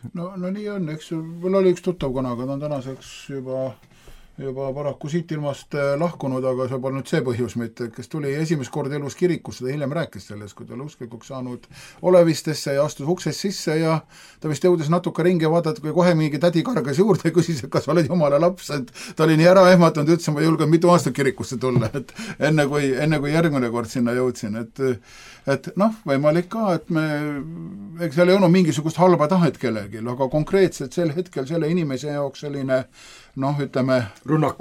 G: No nii on, eks mul oli üks tuttav konaga, ta on tänaseks juba paraku siit ilmast lahkunud, aga see pole nüüd see põhjus mitte, kes tuli esimest korda elus kirikusse, ta hiljem rääkis sellest, kui ta oli usklikuks saanud olevistesse ja astus uksest sisse ja ta vist jõudis natuke ringi vaadata, kui kohe mingi tädi kargas juurde ja küsis, et kas oled Jumala laps, et ta oli nii ära ehmatanud, ütles, ma ei julgenud mitu aastat kirikusse tulla, et enne kui järgmine kord sinna jõudsin, et võimalik ka, et eks seal ei olnud mingisugust halba tahet kellelgi, aga konkreetselt sel hetkel selle inimese jaoks selline ütleme,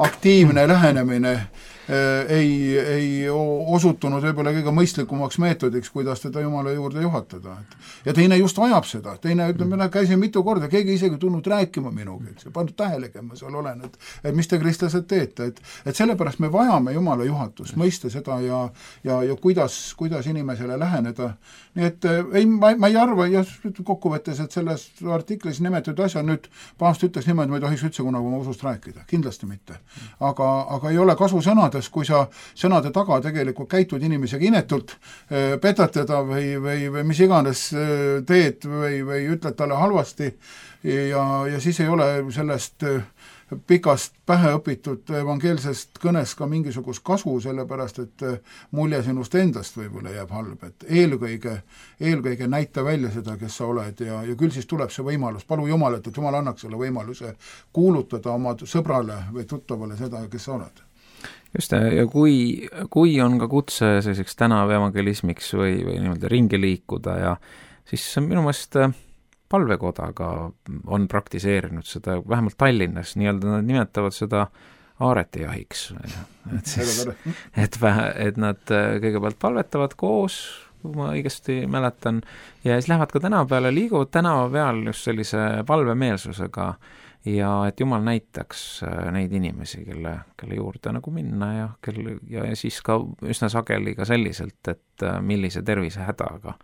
G: aktiivne lähenemine ei osutunud võib-olla kõige mõistlikumaks meetodiks, kuidas teda Jumala juurde juhatada. Ja teine just vajab seda, teine ütleme, käisin mitu korda, keegi isegi tulnud rääkima minuga, et see pandud tähelegi, ma seal olen, et mis te kristlased teete, et sellepärast me vajame Jumala juhatust, mõista seda ja kuidas inimesele läheneda. Nii et ma ei arva, ja kokkuvõttes, et selles artiklis nimetatud asja nüüd paavst ütles niimoodi, ma ei tohiks üldse kunagi oma usust rääkida, kindlasti mitte. Aga ei ole kasu sõnades, kui sa sõnade taga tegelikult käitud inimesega inetult, petad teda või mis iganes teed või ütled talle halvasti ja siis ei ole sellest pikast päheõpitud evangeelsest kõnest ka mingisugust kasu, sellepärast et mulje sinust endast võib-olla jääb halb, et eelkõige näita välja seda, kes sa oled ja küll siis tuleb see võimalus, palu Jumalat, et Jumal annaks selle võimaluse kuulutada oma sõbrale või tuttavale seda, kes sa oled.
F: Just, ja kui on ka kutse selliseks tänavevangelismiks või niimoodi ringi liikuda ja siis minu meelest palvekodaga on praktiseerinud seda, vähemalt Tallinnas, nii-öelda nad nimetavad seda aaretijahiks. Et nad kõigepealt palvetavad koos, kui ma õigesti mäletan, ja siis lähevad ka tänava peale, liiguvad tänava peal just sellise palvemeelsusega ja et Jumal näitaks neid inimesi, kelle juurde nagu minna ja siis ka üsna sageli ka selliselt, et millise tervisehädaga.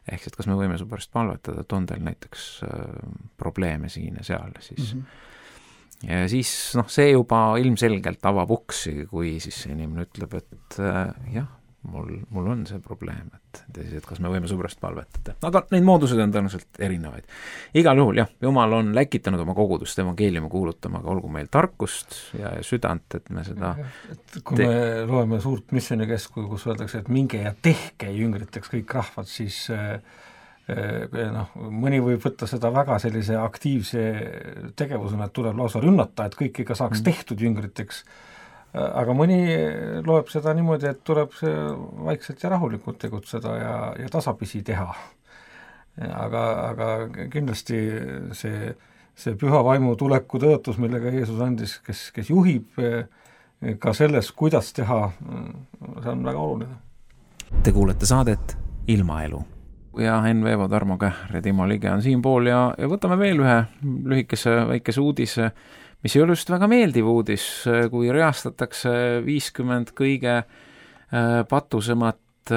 F: Ehk et kas me võime su pärast palvetada, et on teil näiteks probleeme siin ja seal. Siis. Ja siis see juba ilmselgelt avab uksi, kui siis inimene ütleb, et jah, mul on see probleem, et kas me võime su pärast palvetada. Aga neid moodused on tõenäoliselt erinevaid. Igal juhul, jah, Jumal on läkitanud oma kogudust evangeeliumi kuulutama, aga olgu meil tarkust ja südant, et me seda
H: kui me loeme suurt missionikeskuju, kus öeldakse, et minge ja tehke jüngriteks kõik rahvad, siis mõni võib võtta seda väga sellise aktiivse tegevusena, et tuleb lausa rünnata, et kõik ikka saaks tehtud jüngriteks. Aga mõni loeb seda niimoodi, et tuleb see vaikselt ja rahulikult tegutseda ja tasapisi teha. Aga kindlasti see püha vaimu tuleku tõotus, millega Jeesus andis, kes juhib ka selles, kuidas teha, see on väga oluline.
F: Te kuulete saadet Ilmaelu. Ja Henn Veevo, Tarmo Kähr ja Timo Lige on siinpool ja võtame veel ühe lühikese väikese uudise, mis ei ole just väga meeldiv uudis, kui reastatakse 50 kõige patusemat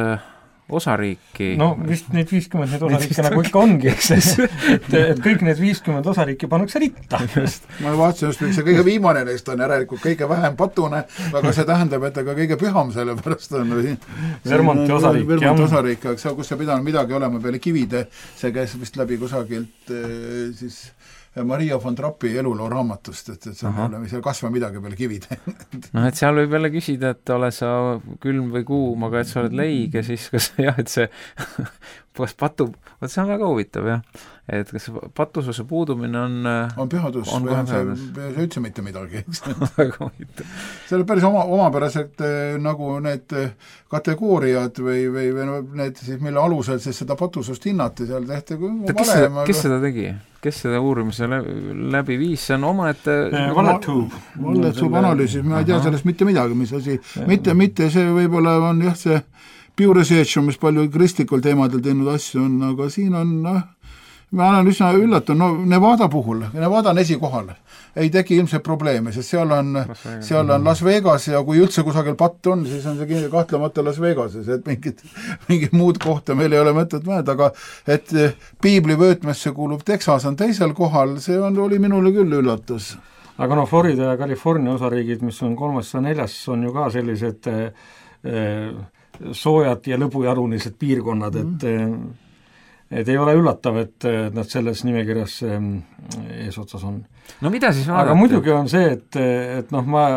F: osariiki.
H: No vist neid 50 neid osariike nagu ikka ongi, et kõik need 50 osariiki pannakse ritta.
G: Ma vaatasin just, et see kõige viimane neist on järelikult kõige vähem patune, aga see tähendab, et ka kõige püham, sellepärast on
H: Vermonti osariik,
G: kus see pidanud midagi olema peale kivide, see käis vist läbi kusagilt siis Maria von Trappi eluloo raamatust, et see on seal kasva midagi peale kivide.
F: Et seal võib jälle küsida, et ole sa külm või kuum, aga et sa oled leig ja siis kas jah, et see patub, see on väga huvitav jah, et kas patususe puudumine
G: on pühadus või see üldse mitte midagi.
F: Väga huvitav.
G: See on päris omapäraselt nagu need kategooriad või need siis, mille alusel siis seda patusust hinnati, seal tehti
F: kes seda tegi? Kes seda uurimise läbi viis, see on omaette
G: Valletsuub analüüsis, ma ei tea sellest mitte midagi, mis asi, mitte see võib-olla on jah, see Pew Research on mis palju kristlikul teemadel teinud asju on, aga siin on ma olen üsna üllatunud, Nevada puhul, Nevada on esikohal, ei teki ilmselt probleeme, sest seal on Las Vegas ja kui üldse kusagil patt on, siis on see kahtlemata Las Vegases, et mingit muud kohta meil ei ole mõtet mõelda, aga et piibli vöötmesse kuulub Texas on teisel kohal, see oli minule küll üllatus.
H: Aga Florida ja California osariigid, mis on 3. ja 4. on ju ka sellised soojad ja lõbujarunised piirkonnad, et ei ole üllatav, et nad selles nimekirjas eesotsas on.
F: No mida siis vaadata?
H: Aga muidugi on see, et ma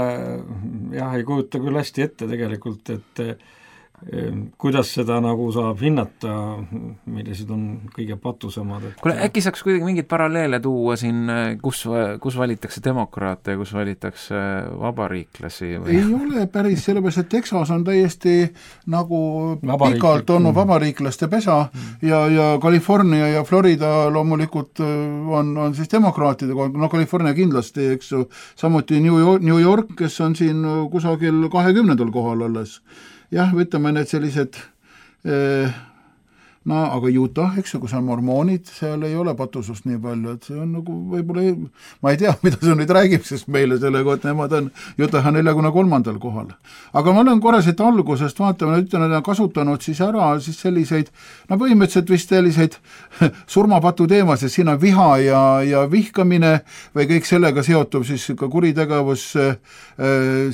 H: ei kujuta küll hästi ette tegelikult, et kuidas seda nagu saab hinnata, millised on kõige patusemad.
F: Kuule, äkki saaks kuidagi mingid paralleele tuua siin, kus valitakse demokraate ja kus valitakse vabariiklasi? Või?
G: Ei ole päris, sellepärast, et Texas on täiesti nagu pikalt olnud vabariiklaste pesa ja California ja Florida loomulikult on siis demokraatide kohal, no California kindlasti, eks ju, samuti New York, kes on siin kusagil 20. kohal alles. Jah, võtame need sellised, aga Utah, eks ju, kus on mormoonid, seal ei ole patusust nii palju, et see on nagu võib-olla, ma ei tea, mida see nüüd räägib, sest meile selle kohta nemad on Utah 43. kohal. Aga ma olen korraselt algusest, vaatame, ütlen, et on kasutanud siis ära siis selliseid, põhimõtteliselt vist selliseid surmapatu teemasid, siin on viha ja vihkamine või kõik sellega seotub siis ka kuritegevus,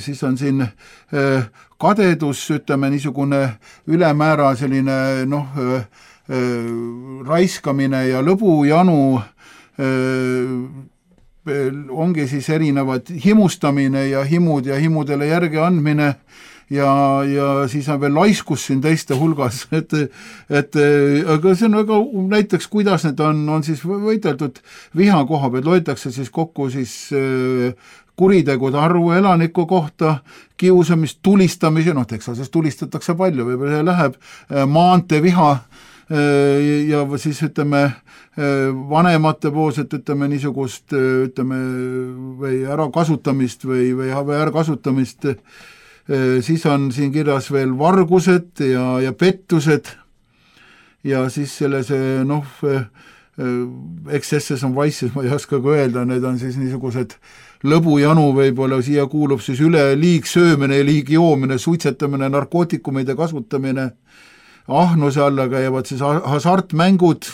G: siis on siin kadedus, ütleme niisugune ülemäära selline raiskamine ja lõbujanu, ongi siis erinevad himustamine ja himud ja himudele järgi andmine ja siis on veel laiskus siin teiste hulgas, et aga see on väga näiteks, kuidas need on siis võideldud viha koha peal, loetakse siis kokku siis kuritegude arvu elaniku kohta, kiusamist, tulistamisi, Texases tulistatakse palju, võib-olla läheb maanteeviha ja siis ütleme vanemate poolset niisugust või ärakasutamist või ärakasutamist, siis on siin kirjas veel vargused ja pettused ja siis selles XS-s on Vice'is, ma ei oska ka öelda, need on siis niisugused lõbujanu võib-olla, siia kuulub siis üle liigsöömine, liigjoomine, suitsetamine, narkootikumide kasutamine, ahnuse alla käivad siis hasartmängud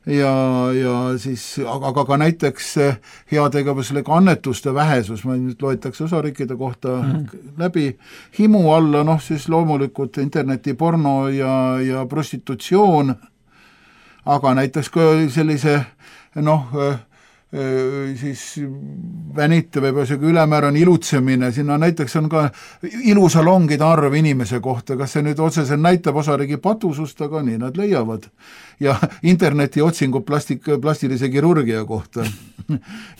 G: ja siis, aga ka näiteks heategevuslik annetuste vähesus, ma nüüd loetakse osariikide kohta läbi, himu alla, siis loomulikult internetiporno ja prostitutsioon, aga näiteks ka sellise siis vänite võib isegi ülemäärane ilutsemine, sinna näiteks on ka ilusalongide arv inimese kohta, kas see nüüd otseselt näitab osariigi patusust, aga nii nad leiavad. Ja interneti otsingud plastilise kirurgia kohta.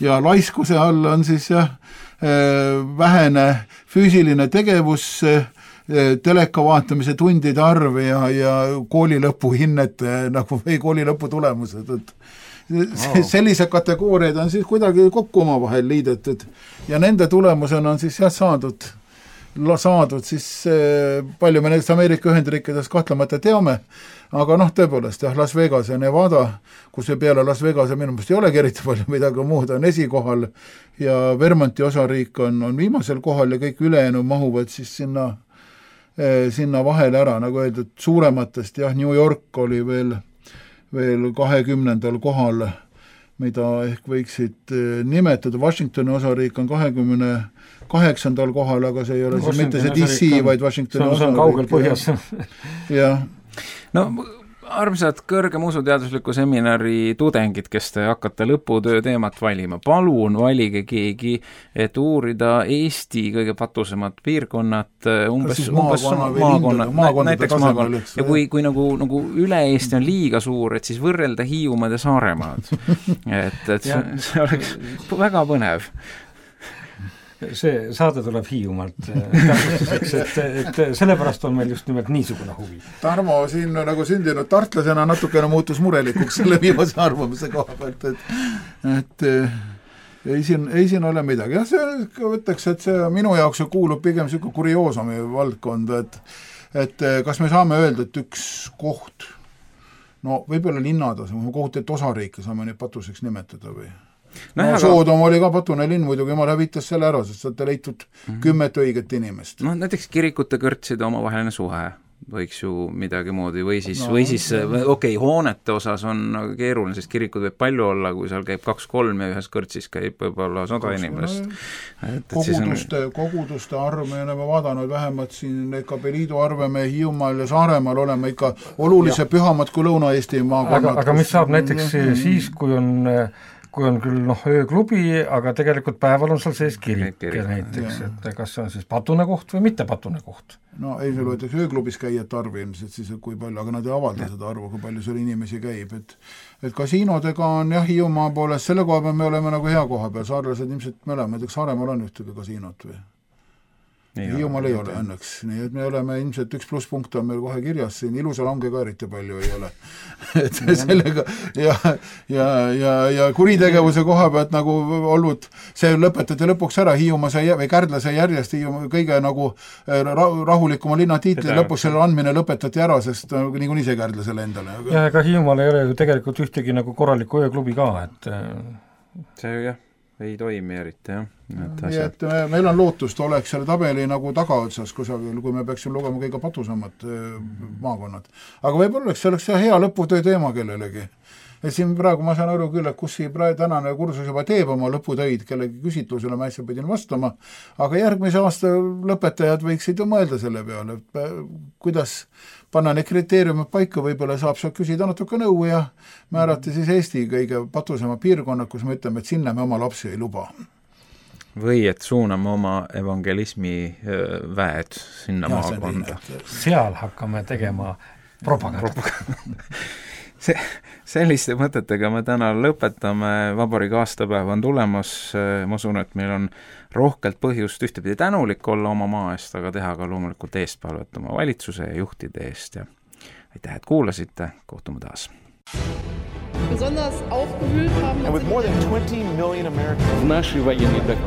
G: Ja laiskuse all on siis vähene füüsiline tegevus, teleka vaatamise tundide arv ja kooli lõpuhinnete või kooli lõpu tulemused, sellised kategooriad on siis kuidagi kokku omavahel liidetud ja nende tulemusena on siis saadud siis palju me näiteks Ameerika Ühendriikides kahtlemata teame, aga tõepoolest Las Vegas ja Nevada, kus peale Las Vegas minu meelest ei olegi eriti palju midagi muud, on esikohal ja Vermonti osariik on viimasel kohal ja kõik ülejäänud mahuvad siis sinna vahele ära, nagu öeldud, suurematest, New York oli veel 20. kohal, mida ehk võiksid nimetada. Washingtoni osariik on 28. kohal, aga see ei ole siis mitte see DC, vaid Washingtoni osariik.
H: See on kaugel põhjas.
G: Jah.
F: Armsad kõrgem usuteadusliku seminari tudengid, kes te hakkate lõputöö teemat valima, palun valige keegi, et uurida Eesti kõige patusemad piirkonnad, umbes maakonnad, näiteks maakonnad. Ja kui nagu üle Eesti on liiga suur, et siis võrrelda Hiiumaad ja Saaremaad. Et see oleks väga põnev.
H: See saade tuleb Hiiumaalt täpsustuseks, et sellepärast on meil just nimelt niisugune huvi.
G: Tarmo siin nagu sündinud tartlasena natukene muutus murelikuks selle viimase arvamise koha pealt, et ei siin ole midagi. Ja see võtaks, et see minu jaoks kuulub pigem selline kurioosumi valdkond, et kas me saame öelda, et üks koht, võib-olla linnades, koht, et osariike saame neid patuseks nimetada või? Soodom oli ka patune linn, muidugi jumal hävitas selle ära, sest olete leitud 10 õiget inimest.
F: Näiteks kirikute kõrtside omavaheline suhe võiks ju midagi moodi või siis hoonete osas on keeruline, sest kirikud võib palju olla, kui seal käib 2-3 ja ühes kõrtsis käib võib-olla 100 inimest.
G: Koguduste arv, me oleme vaadanud vähemalt siin Kabeliidu arve me Hiiumaal ja Saaremaal oleme ikka olulise pühamad kui Lõuna-Eesti maakonnad.
H: Aga mis saab näiteks siis, kui on küll ööklubi, aga tegelikult päeval on seal sees kirik näiteks, et kas see on siis patune koht või mitte patune koht?
G: Ei, see loetakse ööklubis käijate arv ilmselt siis, kui palju, aga nad ei avalda seda arvu, kui palju seal inimesi käib, et kasiinodega on Hiiumaa poolest, selle koha peal me oleme nagu hea koha peal, saarlased ilmselt me oleme, näiteks Saaremaal on ühtegi kasiinot või? Hiiumaal ei ole õnneks, nii et me oleme ilmselt üks plusspunkt on meil kohe kirjas, siin ilusa lange ka eriti palju ei ole. Et sellega ja kuritegevuse koha pealt nagu olnud, see lõpetati lõpuks ära, Hiiumaa või Kärdla sai järjest kõige nagu rahulikuma linna tiitli, lõpuks selle andmine lõpetati ära, sest niikuinii see Kärdla selle endale.
H: Ja ega Hiiumaal ei ole ju tegelikult ühtegi nagu korralikku ööklubi ka, et
F: see jah. Ei toimi eriti, jah.
G: Nii et meil on lootust, oleks selle tabeli nagu tagaotsas kusagil, kui me peaksime lugema kõige patusamad maakonnad. Aga võib-olla see oleks hea lõputöö teema kellelegi. et siin praegu ma saan aru küll, et kus tänane kursus juba teeb oma lõputöid, kellegi küsitlusele ma äsja pidin vastama, aga järgmise aasta lõpetajad võiksid ju mõelda selle peale, et kuidas panna need kriteeriumid paika, võib-olla saab seal küsida natuke nõu ja määrata siis Eesti kõige patusema piirkonnad, kus me ütleme, et sinna me oma lapsi ei luba.
F: Või et suuname oma evangelismi väed sinna maakonda.
H: Seal hakkame tegema propaganda.
F: Selliste mõtetega me täna lõpetame, vabariigi aastapäev on tulemas, ma usun, et meil on rohkelt põhjust ühtepidi tänulik olla oma maa eest, aga teha ka loomulikult eestpalvet oma valitsuse ja juhtide eest ja aitäh, et kuulasite, kohtume taas.
A: Besonders aufgewühlt haben.
B: And with more than 20 million Americans.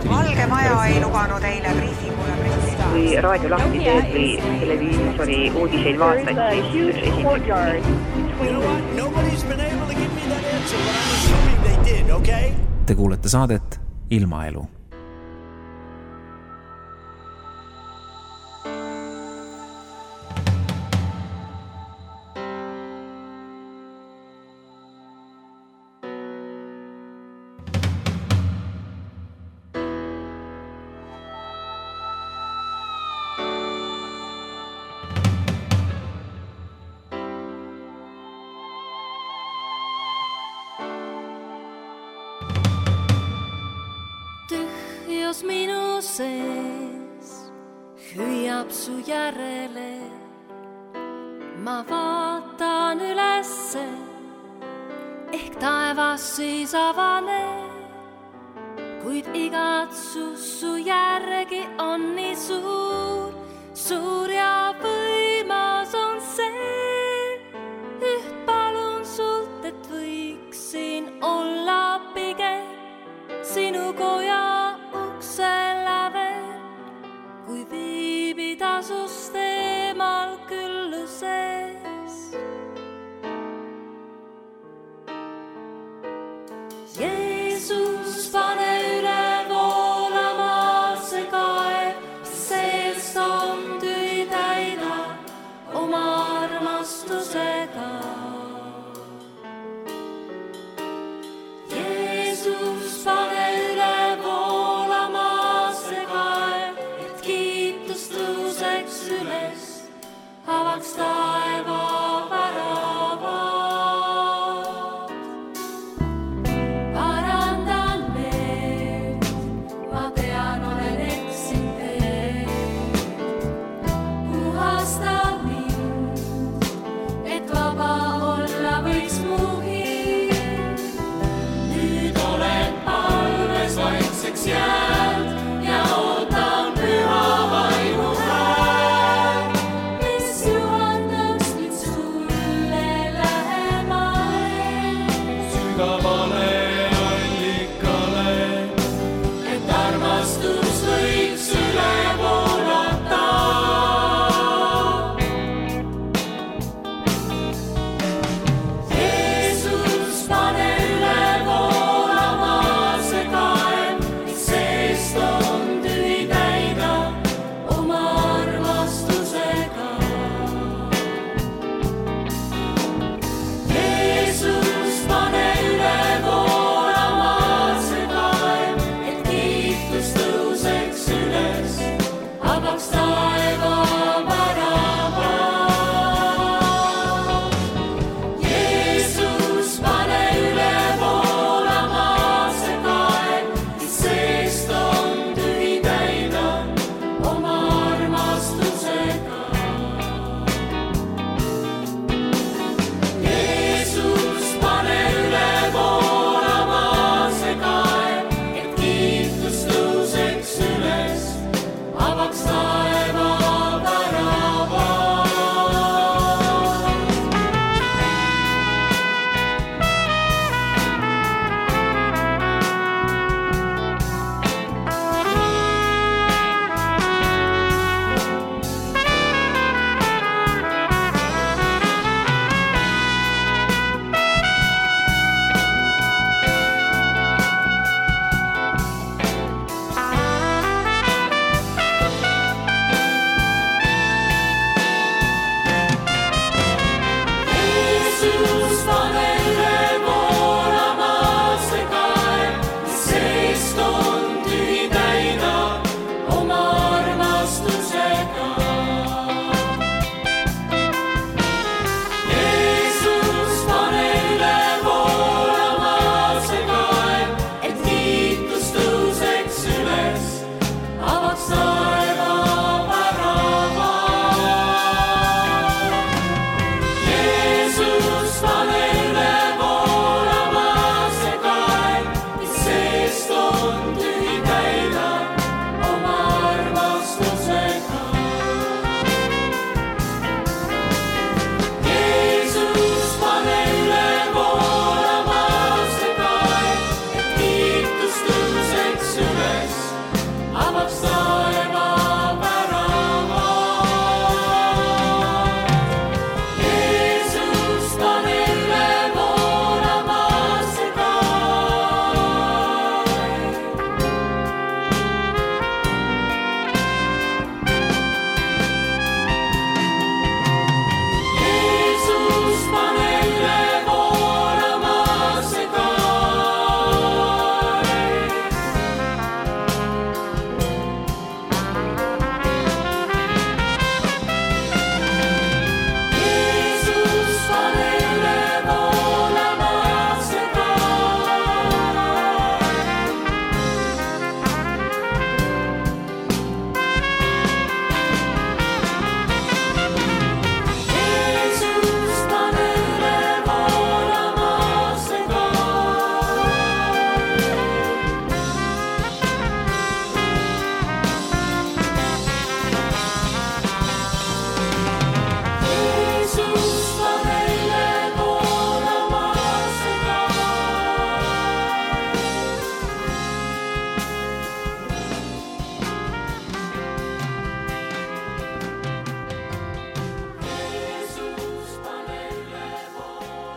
D: Valge Maja ei lubanud eile briifingule president.
E: Kui raadio lahti teed või televiisori uudiseid vaatad, siis esimeseks.
B: You know what? Nobody's been able to give me that answer, but I'm assuming they did, okay?
F: Te kuulete saadet Ilmaelu.
C: Minu sees hüüab su järele, ma vaatan ülesse, ehk taevas siis avane, kuid igatsus su järgi on nii suur, suur ja võimas on see. Üht palun sult, et võiksin olla pigem sinu koja kui viibida sust eemal külluses. Jeesus, pane üle voolama see kaev, seest on tühi täida oma armastusega. Jeesus, pane üle üles, avaks taeva väravad. Parandan meelt, ma tean, olen eksinud teed. Puhasta mind, et vaba olla võiks mu hind. Nüüd olen palves vaikseks jääd ja ootan püha vaimu hääl.
I: Sügavale allikale, et armastus võiks üle voolata.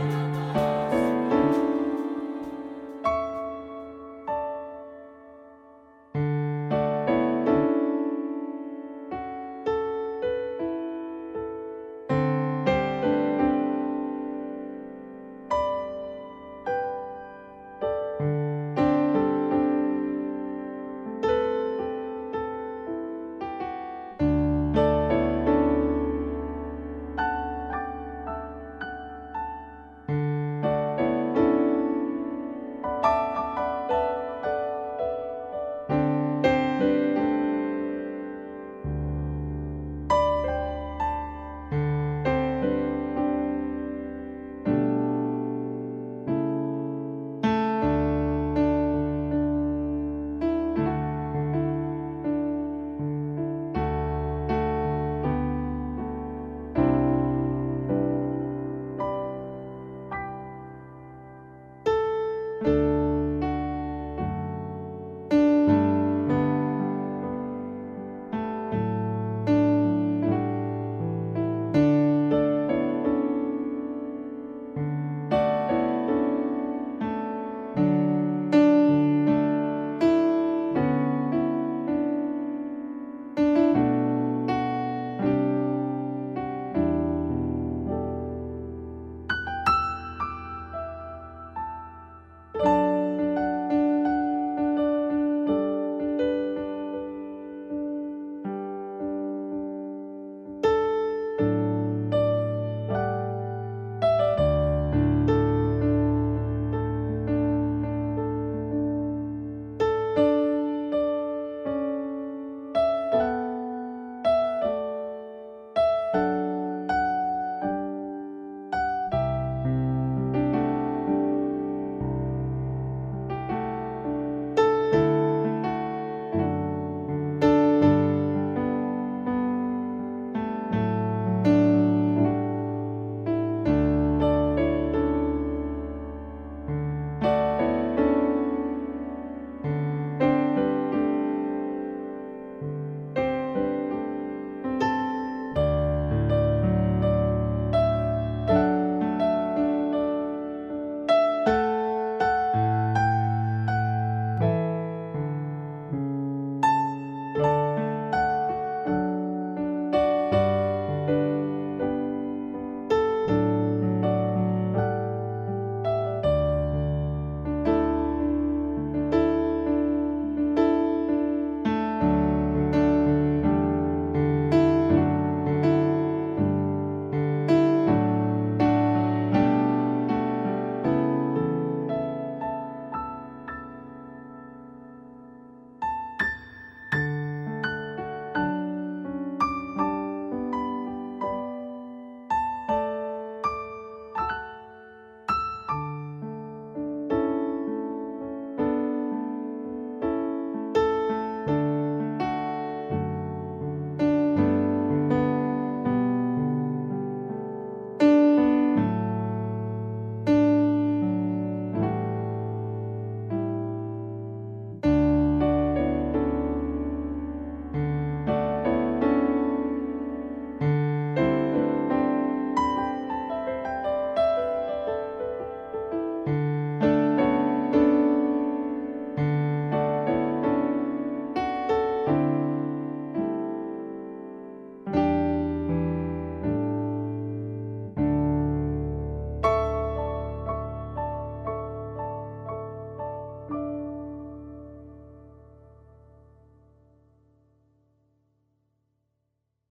C: Thank you.